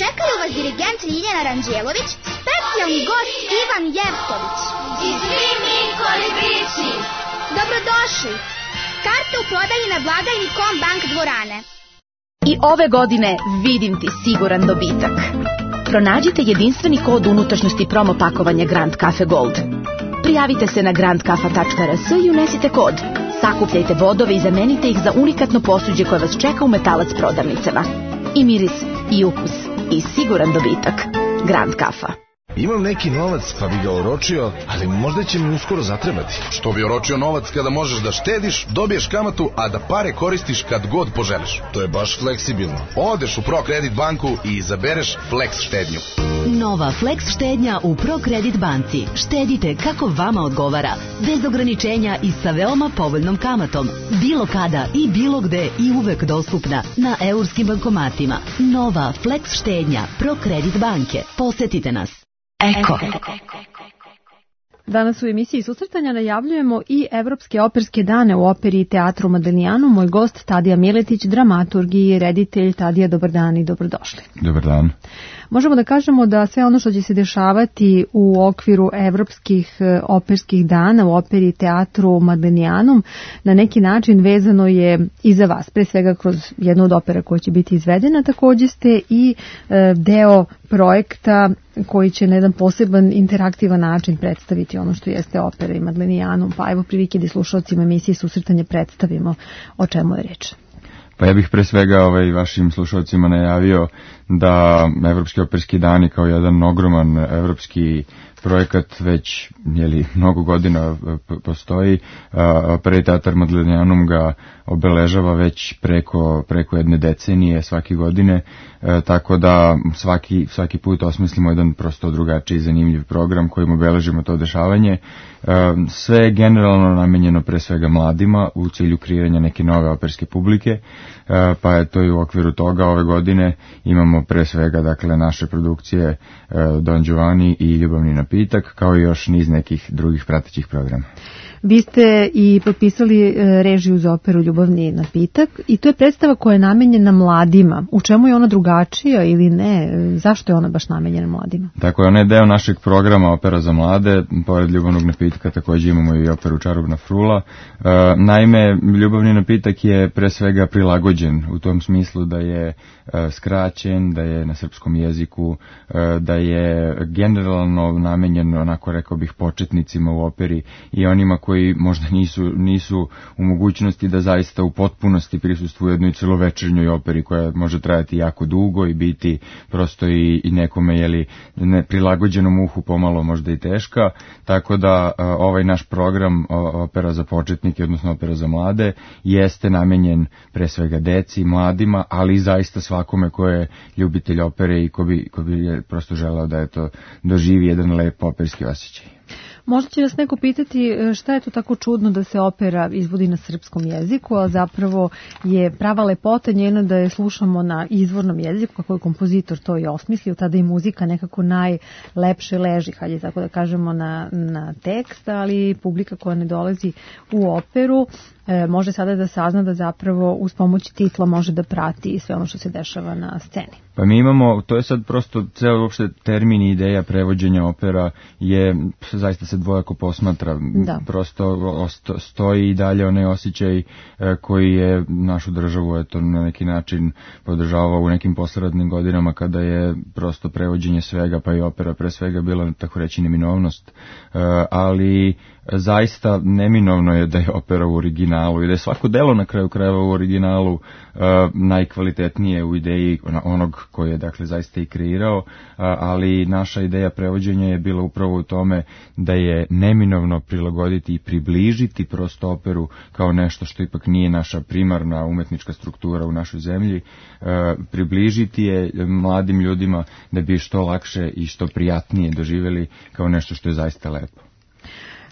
Čekaju vas dirigent Ljiljana Ranđelović, specijalni gost Ivan Jevtović i svi mi kolibrići. Dobrodošli! Karte u prodaji na blagajni Kombank dvorane. I ove godine vidim ti siguran dobitak. Pronađite jedinstveni kod unutrašnjosti promo pakovanja Grand Cafe Gold. Prijavite se na grand kafa tačka r s i unesite kod. Sakupljajte bodove i zamenite ih za unikatno posuđe koje vas čeka u Metalac prodavnicama. I miris, i ukus, i siguran dobitak. Grand Kafa. Imam neki novac pa bi ga oročio, ali možda će mi uskoro zatrebati. Što bi oročio novac kada možeš da štediš, dobiješ kamatu, a da pare koristiš kad god poželiš? To je baš fleksibilno. Odeš u ProKredit banku i izabereš Flex štednju. Nova Flex štednja u ProKredit banci. Štedite kako vama odgovara, bez ograničenja i sa veoma povoljnom kamatom. Bilo kada i bilo gde i uvek dostupna na eurskim bankomatima. Nova Flex štednja ProKredit banke. Posetite nas. Eko. Danas u emisiji Susretanja najavljujemo i Evropske operske dane u operi i teatru Modiglianu. Moj gost Tadija Miletić, dramaturg i reditelj. Tadija, dobar dan i dobrodošli. Dobar dan. Možemo da kažemo da sve ono što će se dešavati u okviru evropskih operskih dana u operi i teatru Modiglianum na neki način vezano je i za vas, pre svega kroz jednu od opera koja će biti izvedena. Takođe ste i deo projekta koji će na jedan poseban interaktivan način predstaviti ono što jeste opera i Modiglianum. Pa evo prilike da slušalcima emisije Susretanje predstavimo o čemu je reč. Pa ja bih pre svega ovaj, vašim slušalcima najavio da Evropski operski dani kao jedan ogroman evropski projekat već jeli, mnogo godina postoji. Opera i teatar Modiglianum ga obeležava već preko, preko jedne decenije svake godine, e, tako da svaki, svaki put osmislimo jedan prosto drugačiji i zanimljiv program kojim obeležimo to dešavanje. E, sve je generalno namenjeno pre svega mladima u cilju kreiranja neke nove operske publike, e, pa je to i u okviru toga ove godine imamo pre svega dakle naše produkcije e, Don Giovanni i Ljubavni napitak, kao i još niz nekih drugih pratećih programa. Vi ste i potpisali režiju za operu Ljubavni napitak i to je predstava koja je namenjena mladima. U čemu je ona drugačija ili ne? Zašto je ona baš namenjena mladima? Tako je, ona je deo našeg programa Opera za mlade. Pored Ljubavnog napitka također imamo i operu Čarobna frula. E, naime, Ljubavni napitak je pre svega prilagođen u tom smislu da je e, skraćen, da je na srpskom jeziku, e, da je generalno namenjen, onako rekao bih, početnicima u operi i onima koji možda nisu, nisu u mogućnosti da zaista u potpunosti prisustvuju jednoj celovečernjoj operi koja može trajati jako dugo i biti prosto i, i nekome jeli, ne, prilagođenom uhu pomalo možda i teška, tako da a, ovaj naš program o, opera za početnike, odnosno opera za mlade, jeste namenjen pre svega deci, mladima, ali i zaista svakome ko je ljubitelj opere i ko bi, ko bi je prosto želeo da je to doživi jedan lep operski osjećaj. Možda će nas neko pitati šta je to tako čudno da se opera izvodi na srpskom jeziku, a zapravo je prava lepota njena da je slušamo na izvornom jeziku, kako je kompozitor to i osmislio, tada i muzika nekako najlepše leži, hajde tako da kažemo, na, na tekst, ali publika koja ne dolazi u operu e, može sada da sazna da zapravo uz pomoć titla može da prati sve ono što se dešava na sceni. Pa mi imamo, to je sad prosto ceo uopšte termin i ideja prevođenja opera je zaista se dvojako posmatra. Da. Prosto stoji i dalje onaj osjećaj koji je našu državu eto, na neki način podržavao u nekim posleratnim godinama kada je prosto prevođenje svega, pa i opera pre svega bila tako reći neminovnost. Ali zaista neminovno je da je opera u originalu i da je svako delo na kraju krajeva u originalu uh, najkvalitetnije u ideji onog koji je dakle zaista i kreirao, uh, ali naša ideja prevođenja je bila upravo u tome da je neminovno prilagoditi i približiti prosto operu kao nešto što ipak nije naša primarna umetnička struktura u našoj zemlji, uh, približiti je mladim ljudima da bi što lakše i što prijatnije doživjeli kao nešto što je zaista lepo.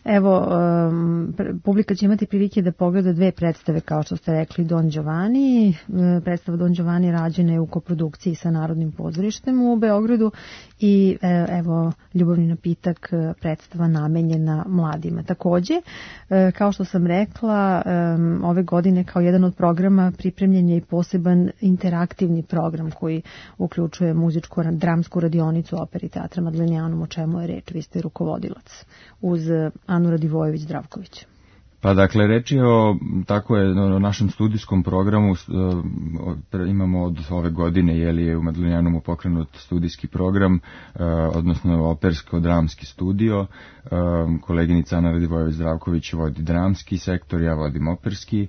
Evo, um, publika će imati prilike da pogleda dve predstave, kao što ste rekli, Don Giovanni. Predstava Don Giovanni rađena je u koprodukciji sa Narodnim pozorištem u Beogradu i evo, Ljubavni napitak, predstava namenjena mladima. Takođe, kao što sam rekla, ove godine kao jedan od programa pripremljen je i poseban interaktivni program koji uključuje muzičku dramsku radionicu opere i teatra Modiglianum, o čemu je reč. Vi ste rukovodilac uz Anu Radivojević-Zdravković. Pa dakle, reč je o, tako je, o našem studijskom programu, imamo od ove godine, je li je u Modiglianumu pokrenut studijski program, odnosno opersko-dramski studio, koleginica Ana Radivojević-Zdravković vodi dramski sektor, ja vodim operski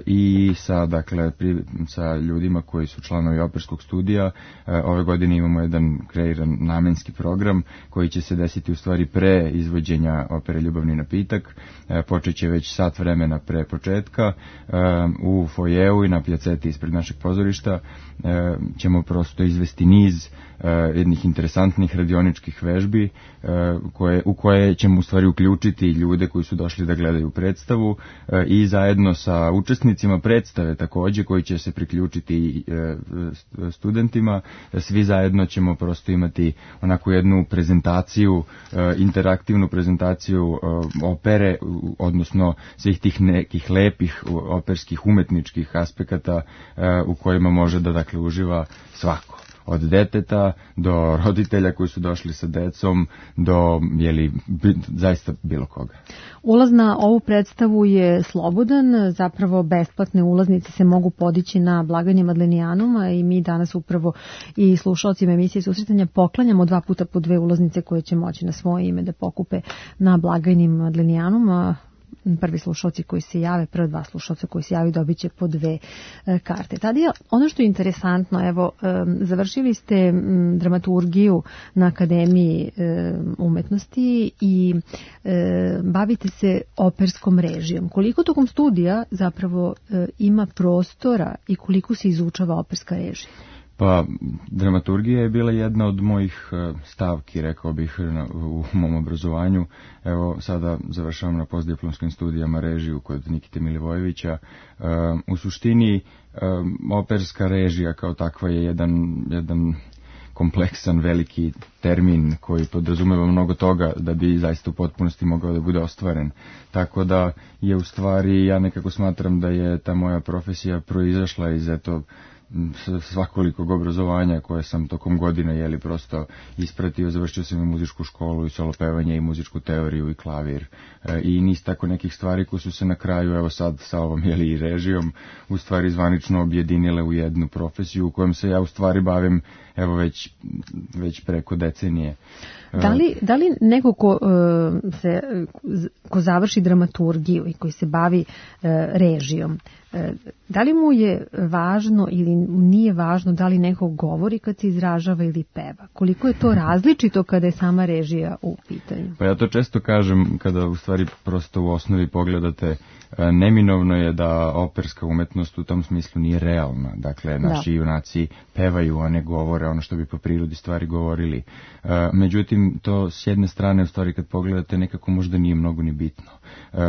i sa, dakle, pri, sa ljudima koji su članovi operskog studija, ove godine imamo jedan kreiran namenski program koji će se desiti u stvari pre izvođenja opere Ljubavni napitak, počet će već sat vremena pre početka um, u fojeu i na pjaceti ispred našeg pozorišta um, ćemo prosto izvesti niz uh, jednih interesantnih radioničkih vežbi uh, koje, u koje ćemo u stvari uključiti ljude koji su došli da gledaju predstavu uh, i zajedno sa učesnicima predstave također koji će se priključiti uh, studentima. Svi zajedno ćemo prosto imati onako jednu prezentaciju, uh, interaktivnu prezentaciju uh, opere, odnosno svih tih nekih lepih operskih umetničkih aspekata uh, u kojima može da dakle uživa svako. od deteta do roditelja koji su došli sa decom do, jeli, zaista bilo koga. Ulaz na ovu predstavu je slobodan, zapravo besplatne ulaznice se mogu podići na blagajni Madlenijanuma i mi danas upravo i slušalcima emisije Susretanja poklanjamo dva puta po dve ulaznice koje će moći na svoje ime da pokupe na blagajni Madlenijanuma. Prvi slušalci koji se jave, prva dva slušalca koji se javi dobit će po dve e, karte. Tada je ono što je interesantno, evo, e, završili ste m, dramaturgiju na Akademiji e, umetnosti i e, bavite se operskom režijom. Koliko tokom studija zapravo e, ima prostora i koliko se izučava operska režija? Pa, dramaturgija je bila jedna od mojih stavki, rekao bih, u mom obrazovanju. Evo, sada završavam na postdiplomskim studijama režiju kod Nikite Milivojevića. U suštini, operska režija kao takva je jedan, jedan kompleksan, veliki termin koji podrazumeva mnogo toga da bi zaista u potpunosti mogao da bude ostvaren. Tako da je u stvari, ja nekako smatram da je ta moja profesija proizašla iz eto svakolikog obrazovanja koje sam tokom godina jeli prosto ispratio. Završio sam i muzičku školu i solo pevanje i muzičku teoriju i klavir e, i niz tako nekih stvari koje su se na kraju, evo sad sa ovom jeli i režijom, u stvari zvanično objedinile u jednu profesiju u kojem se ja u stvari bavim evo već, već preko decenije. Da li, da li neko ko, uh, se, ko završi dramaturgiju i koji se bavi uh, režijom, uh, da li mu je važno ili nije važno da li neko govori kad se izražava ili peva? Koliko je to različito kada je sama režija u pitanju? Pa ja to često kažem kada u stvari prosto u osnovi pogledate, neminovno je da operska umetnost u tom smislu nije realna. Dakle, naši da. junaci pevaju, a ne govore ono što bi po prirodi stvari govorili. Međutim, to s jedne strane u stvari kad pogledate nekako možda nije mnogo ni bitno.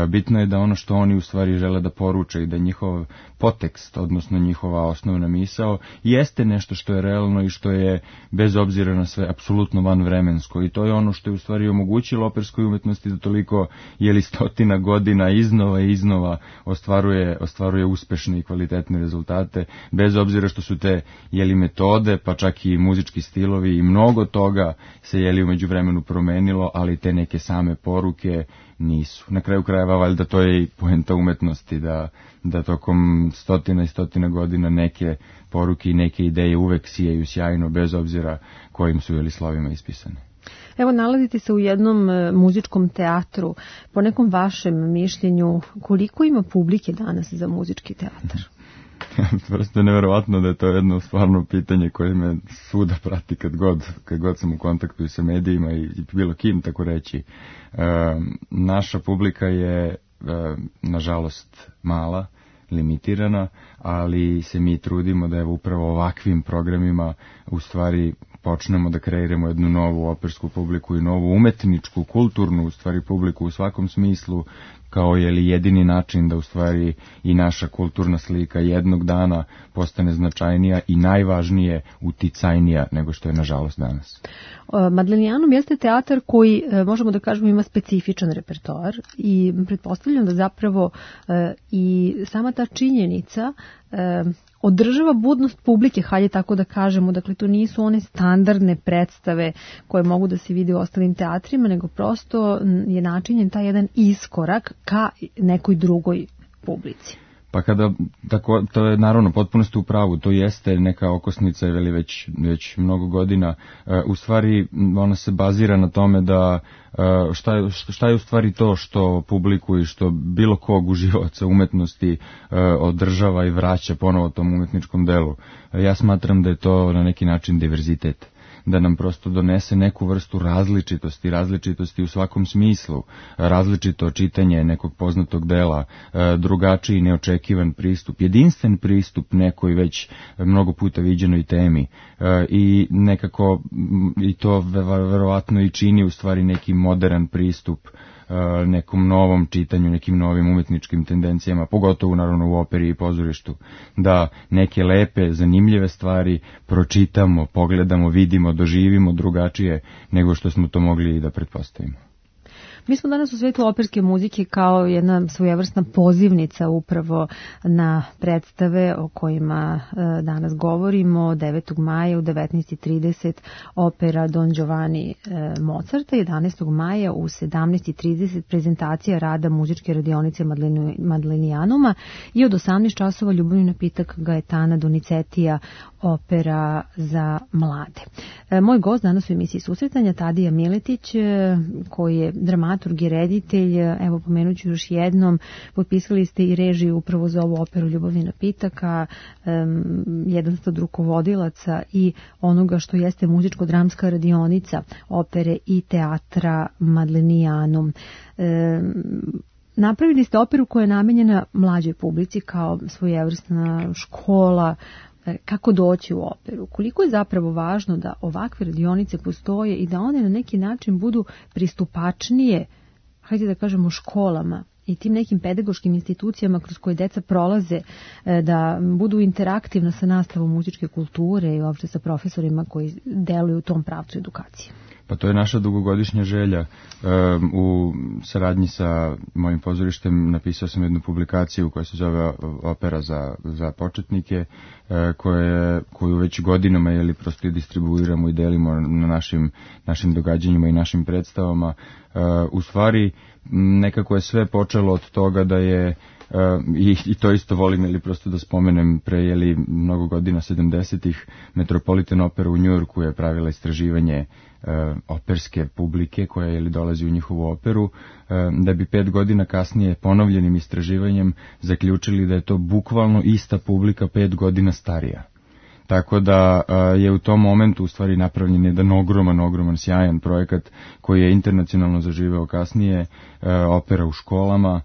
Bitno je da ono što oni u stvari žele da poruče i da njihov potekst, odnosno njihova osnovna misao, jeste nešto što je realno i što je bez obzira na sve apsolutno vanvremensko. I to je ono što je u stvari omogućilo operskoj umetnosti da toliko jeli stotina godina iznova i iznova ostvaruje, ostvaruje uspešne i kvalitetne rezultate, bez obzira što su te jeli metode, pa čak i muzički stilovi i mnogo toga se jeli u međuvremenu promenilo, ali te neke same poruke nisu. Na kraju krajeva, valjda to je i poenta umetnosti, da, da tokom stotina i stotina godina neke poruke i neke ideje uvek sijaju sjajno, bez obzira kojim su jeli slovima ispisane. Evo, nalazite se u jednom e, muzičkom teatru. Po nekom vašem mišljenju, koliko ima publike danas za muzički teatar? Prosto je neverovatno da je to jedno stvarno pitanje koje me svuda prati kad god, kad god sam u kontaktu i sa medijima i, i bilo kim, tako reći. E, naša publika je, e, nažalost, mala, limitirana, ali se mi trudimo da evo upravo ovakvim programima u stvari počnemo da kreiramo jednu novu opersku publiku i novu umetničku, kulturnu u stvari publiku u svakom smislu, kao je li jedini način da u stvari i naša kulturna slika jednog dana postane značajnija i najvažnije uticajnija nego što je nažalost danas. Madlenijanum jeste teatar koji, možemo da kažemo, ima specifičan repertoar i pretpostavljam da zapravo i sama ta činjenica održava budnost publike, hajde tako da kažemo, dakle to nisu one standardne predstave koje mogu da se vide u ostalim teatrima, nego prosto je načinjen taj jedan iskorak ka nekoj drugoj publici. Pa kada, tako, to je naravno potpuno ste u pravu, to jeste neka okosnica veli već, već mnogo godina, e, u stvari ona se bazira na tome da e, šta, je, šta je u stvari to što publiku i što bilo kog uživaoca umetnosti e, održava i vraća ponovo tom umetničkom delu. E, ja smatram da je to na neki način diverzitet, da nam prosto donese neku vrstu različitosti, različitosti u svakom smislu, različito čitanje nekog poznatog dela, drugačiji neočekivan pristup, jedinstven pristup nekoj već mnogo puta viđenoj temi i nekako i to verovatno i čini u stvari neki modern pristup nekom novom čitanju, nekim novim umetničkim tendencijama, pogotovo naravno u operi i pozorištu, da neke lepe, zanimljive stvari pročitamo, pogledamo, vidimo, doživimo drugačije nego što smo to mogli da pretpostavimo. Mi smo danas u svetu operske muzike kao jedna svojevrsna pozivnica upravo na predstave o kojima danas govorimo. devetog maja u devetnaest i trideset opera Don Giovanni Mozarta, jedanaestog maja u sedamnaest i trideset prezentacija rada muzičke radionice Madlenijanuma i od osamnaest časova ljubavni napitak Gaetana Donizetija, opera za mlade. Moj gost danas u emisiji Susretanja Tadija Miletić, koji je dramaturg i reditelj. Evo, pomenut ću još jednom, potpisali ste i režiju upravo za ovu operu Ljubavni napitak, a um, jedan ste od rukovodilaca i onoga što jeste muzičko-dramska radionica opere i teatra Madlenijanum. Um, Napravili ste operu koja je namenjena mlađoj publici kao svojevrsna škola. Kako doći u operu? Koliko je zapravo važno da ovakve radionice postoje i da one na neki način budu pristupačnije, hajde da kažemo, školama i tim nekim pedagoškim institucijama kroz koje deca prolaze, da budu interaktivna sa nastavom muzičke kulture i uopšte sa profesorima koji deluju u tom pravcu edukacije? Pa to je naša dugogodišnja želja. Um, u saradnji sa mojim pozorištem napisao sam jednu publikaciju koja se zove Opera za, za početnike, uh, koje, koju već godinama jeli, prosto i distribuiramo i delimo na našim, našim događanjima i našim predstavama. Uh, u stvari, nekako je sve počelo od toga da je Uh, i, i to isto volim, ili prosto da spomenem, pre jeli, mnogo godina, sedamdesetih, Metropolitan Opera u Njujorku je pravila istraživanje uh, operske publike koja jeli, dolazi u njihovu operu, uh, da bi pet godina kasnije ponovljenim istraživanjem zaključili da je to bukvalno ista publika pet godina starija. Tako da uh, je u tom momentu u stvari napravljen jedan ogroman, ogroman, sjajan projekat koji je internacionalno zaživeo kasnije, uh, opera u školama,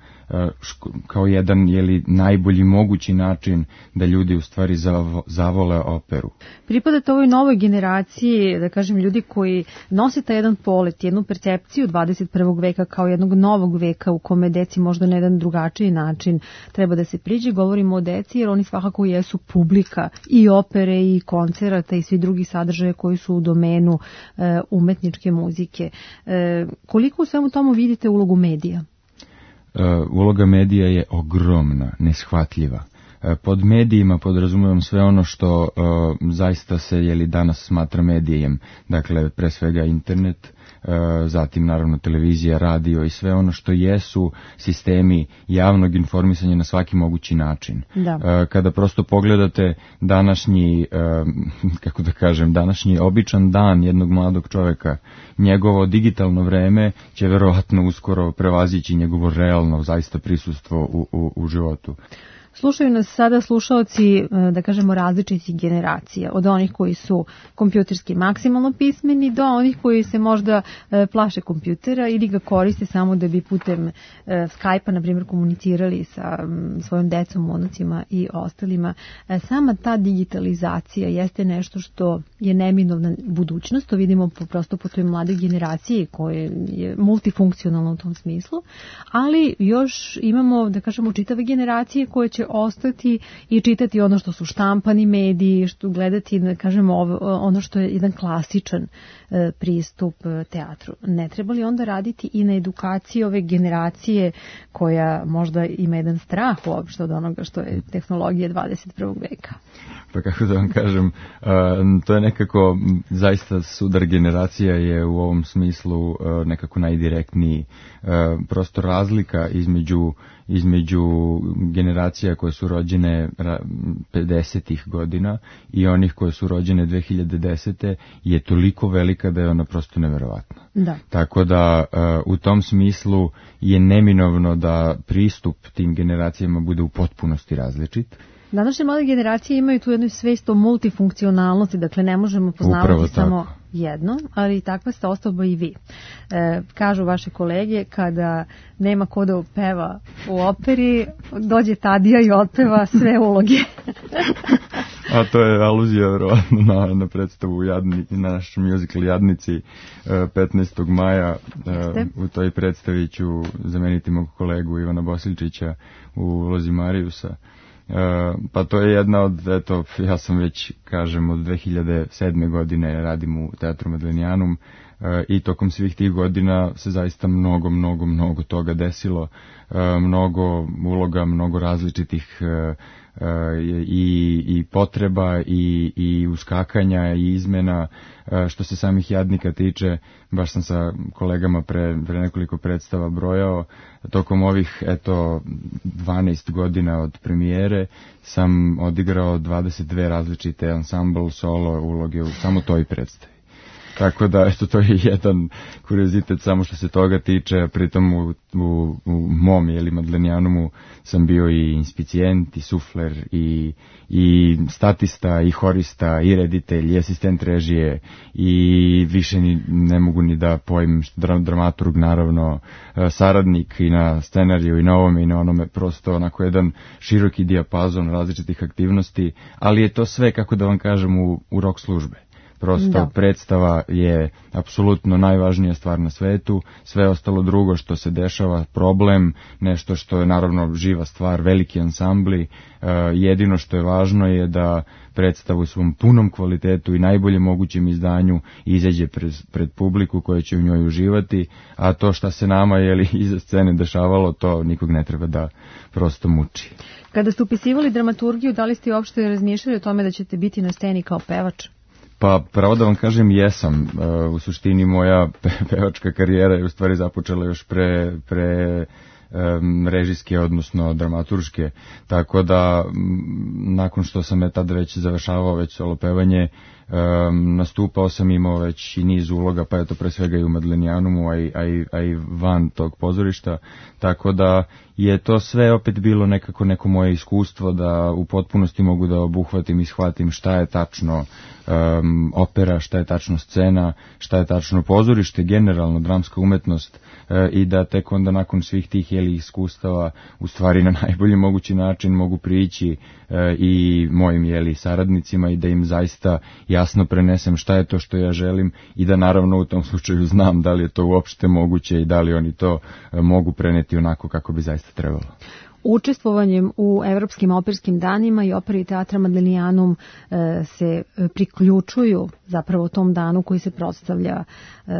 ško, kao jedan jeli, najbolji mogući način da ljudi u stvari zavo, zavole operu. Pripadate ovoj novoj generaciji, da kažem, ljudi koji nose taj jedan polet, jednu percepciju dvadeset prvog veka kao jednog novog veka u kome deci možda na jedan drugačiji način treba da se priđe. Govorimo o deci jer oni svakako jesu publika i opere i koncerata i svi drugi sadržaje koji su u domenu e, umetničke muzike. E, koliko u svemu tomu vidite ulogu medija? Uh, uloga medija je ogromna, neshvatljiva. Uh, pod medijima podrazumijem sve ono što uh, zaista se jeli danas smatra medijem, dakle pre svega internet, uh, zatim naravno televizija, radio i sve ono što jesu sistemi javnog informisanja na svaki mogući način. Da. Uh, kada prosto pogledate današnji, uh, kako da kažem, današnji običan dan jednog mladog čoveka, njegovo digitalno vreme će verovatno uskoro prevazići njegovo realno zaista prisustvo u, u, u životu. Slušaju nas sada slušaoci, da kažemo, različitih generacija, od onih koji su kompjuterski maksimalno pismeni do onih koji se možda plaše kompjutera ili ga koriste samo da bi putem Skype-a, na primjer, komunicirali sa svojim decom, unucima i ostalima. Sama ta digitalizacija jeste nešto što je neminovna budućnost, to vidimo prosto po toj mladoj generaciji koje je multifunkcionalno u tom smislu, ali još imamo, da kažemo, čitave generacije koje će ostati i čitati ono što su štampani mediji, što gledati, da kažemo, ono što je jedan klasičan e, pristup teatru. Ne treba li onda raditi i na edukaciji ove generacije koja možda ima jedan strah uopšte od onoga što je tehnologija dvadeset prvog veka? Pa kako da vam kažem, uh, to je nekako, zaista sudar generacija je u ovom smislu uh, nekako najdirektniji. Uh, prosto razlika između između generacija koje su rođene pedesetih godina i onih koje su rođene dve hiljade desete je toliko velika da je ona prosto neverovatna. Da. Tako da uh, u tom smislu je neminovno da pristup tim generacijama bude u potpunosti različit. Današnje mlade generacije imaju tu jednu svest o multifunkcionalnosti, dakle ne možemo poznavati samo jedno, ali takva ste osoba i vi. E, kažu vaše kolege, kada nema ko da peva u operi, dođe Tadija i otpeva sve uloge. A to je aluzija verovatno na, na predstavu Jadni, na naš musical Jadnici petnaestog maja. E, u toj predstavi ću zameniti mog kolegu Ivana Bosiljčića u ulozi Marijusa. Uh, pa to je jedna od, eto, ja sam već, kažem, od dve hiljade sedme godine radim u Teatru Madlenijanum, i tokom svih tih godina se zaista mnogo, mnogo, mnogo toga desilo, mnogo uloga, mnogo različitih i, i potreba i, i uskakanja i izmena. Što se samih jadnika tiče, baš sam sa kolegama pre, pre nekoliko predstava brojao, tokom ovih eto dvanaest godina od premijere sam odigrao dvadeset dve različite ensemble solo uloge u samo toj predstavi. Tako da, eto, to je jedan kuriozitet samo što se toga tiče, pritom u, u, u mom, jeli, Madlenijanumu sam bio i inspicijent, i sufler, i, i statista, i horista, i reditelj, i asistent režije, i više ni, ne mogu ni da pojmim, dramaturg, naravno, saradnik i na scenariju, i na ovome, i na onome, prosto onako jedan široki dijapazon različitih aktivnosti, ali je to sve, kako da vam kažem, u, u rock službe. Prosto da. Predstava je apsolutno najvažnija stvar na svetu, sve ostalo drugo što se dešava, problem, nešto što je naravno živa stvar, veliki ansambli, uh, jedino što je važno je da predstavu u svom punom kvalitetu i najbolje mogućem izdanju izađe pred, pred publiku koja će u njoj uživati, a to što se nama jeli iza scene dešavalo, to nikog ne treba da prosto muči. Kada ste upisivali dramaturgiju, da li ste uopšte razmišljali o tome da ćete biti na sceni kao pevač? Pa, pravo da vam kažem, jesam. U suštini moja pevačka karijera je u stvari započela još pre, pre um, režijske, odnosno dramaturške, tako da m, nakon što sam je tada već završavao već solo pevanje, um, nastupao sam, imao već i niz uloga, pa je to pre svega i u Madlenijanumu, a i, a, i, a i van tog pozorišta, tako da je to sve opet bilo nekako neko moje iskustvo da u potpunosti mogu da obuhvatim i shvatim šta je tačno um, opera, šta je tačno scena, šta je tačno pozorište, generalno dramska umetnost, uh, i da tek onda nakon svih tih jeli iskustava u stvari na najbolji mogući način mogu prići uh, i mojim jeli saradnicima i da im zaista jasno prenesem šta je to što ja želim i da naravno u tom slučaju znam da li je to uopšte moguće i da li oni to uh, mogu preneti onako kako bi zaista trebalo. Učestvovanjem u Evropskim operskim danima i operi teatra Madlenijanum e, se priključuju zapravo tom danu koji se proslavlja e,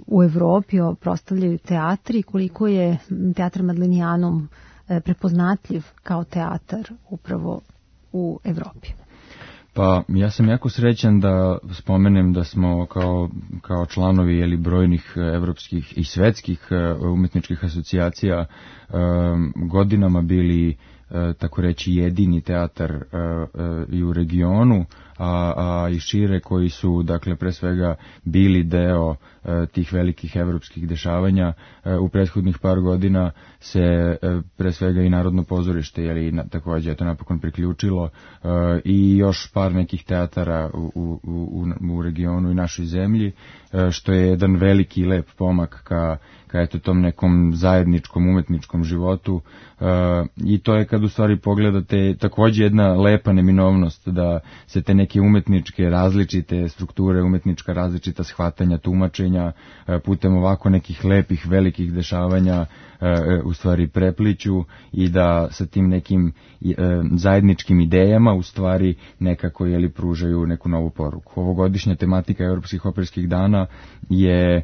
u Evropi, proslavljaju teatri. Koliko je teatr Madlenijanum e, prepoznatljiv kao teatar upravo u Evropi? Pa ja sam jako srećan da spomenem da smo kao, kao članovi jeli, brojnih evropskih i svetskih umetničkih asocijacija um, godinama bili uh, tako reći jedini teatar uh, uh, i u regionu, a, a i šire koji su dakle pre svega bili deo uh, tih velikih evropskih dešavanja. Uh, u prethodnih par godina se uh, pre svega i Narodno pozorište jeli, na, također je to napokon priključilo uh, i još par nekih teatara u, u, u, u regionu i našoj zemlji, uh, što je jedan veliki i lep pomak ka, ka eto tom nekom zajedničkom umetničkom životu, uh, i to je kad u stvari pogledate također jedna lepa neminovnost da se te neke umetničke različite strukture, umetnička različita shvatanja, tumačenja putem ovako nekih lepih velikih dešavanja u stvari prepliću i da sa tim nekim zajedničkim idejama u stvari nekako jeli pružaju neku novu poruku. Ovogodišnja tematika Evropskih operskih dana je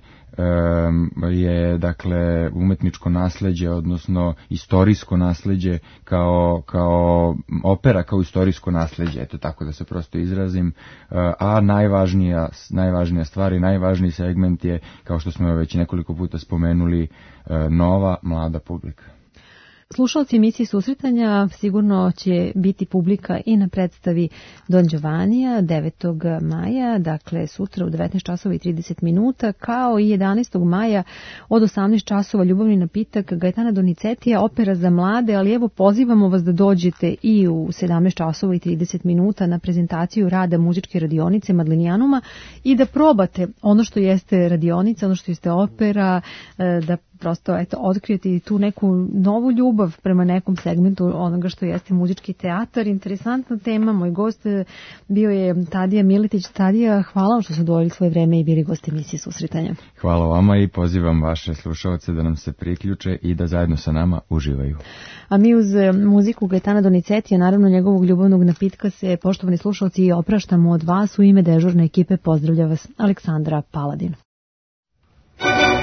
je dakle umetničko nasleđe, odnosno istorijsko nasleđe kao, kao opera kao istorijsko nasleđe, eto tako da se prosto izrazim, a najvažnija, najvažnija stvar i najvažniji segment je, kao što smo već nekoliko puta spomenuli, nova mlada publika. Slušalci emisije Susretanja sigurno će biti publika i na predstavi Don Giovannija devetog maja, dakle sutra u devetnaest časova i trideset minuta, kao i jedanaestog maja od osamnaest časova Ljubavni napitak Gaetana Donizetija, opera za mlade, ali evo pozivamo vas da dođete i u sedamnaest časova i trideset minuta na prezentaciju rada muzičke radionice Madlenijanuma i da probate ono što jeste radionica, ono što jeste opera, da prosto eto, otkrijeti tu neku novu ljubav prema nekom segmentu onoga što jeste muzički teatar. Interesantna tema, moj gost bio je Tadija Miletić. Tadija, hvala vam što su odvojili svoje vreme i bili gost emisije Susretanja. Hvala vama i pozivam vaše slušalce da nam se priključe i da zajedno sa nama uživaju. A mi uz muziku Gaetana Donizetija, naravno njegovog ljubavnog napitka, se, poštovani slušalci, i opraštamo od vas. U ime dežurne ekipe pozdravlja vas Aleksandra Paladin. Thank you.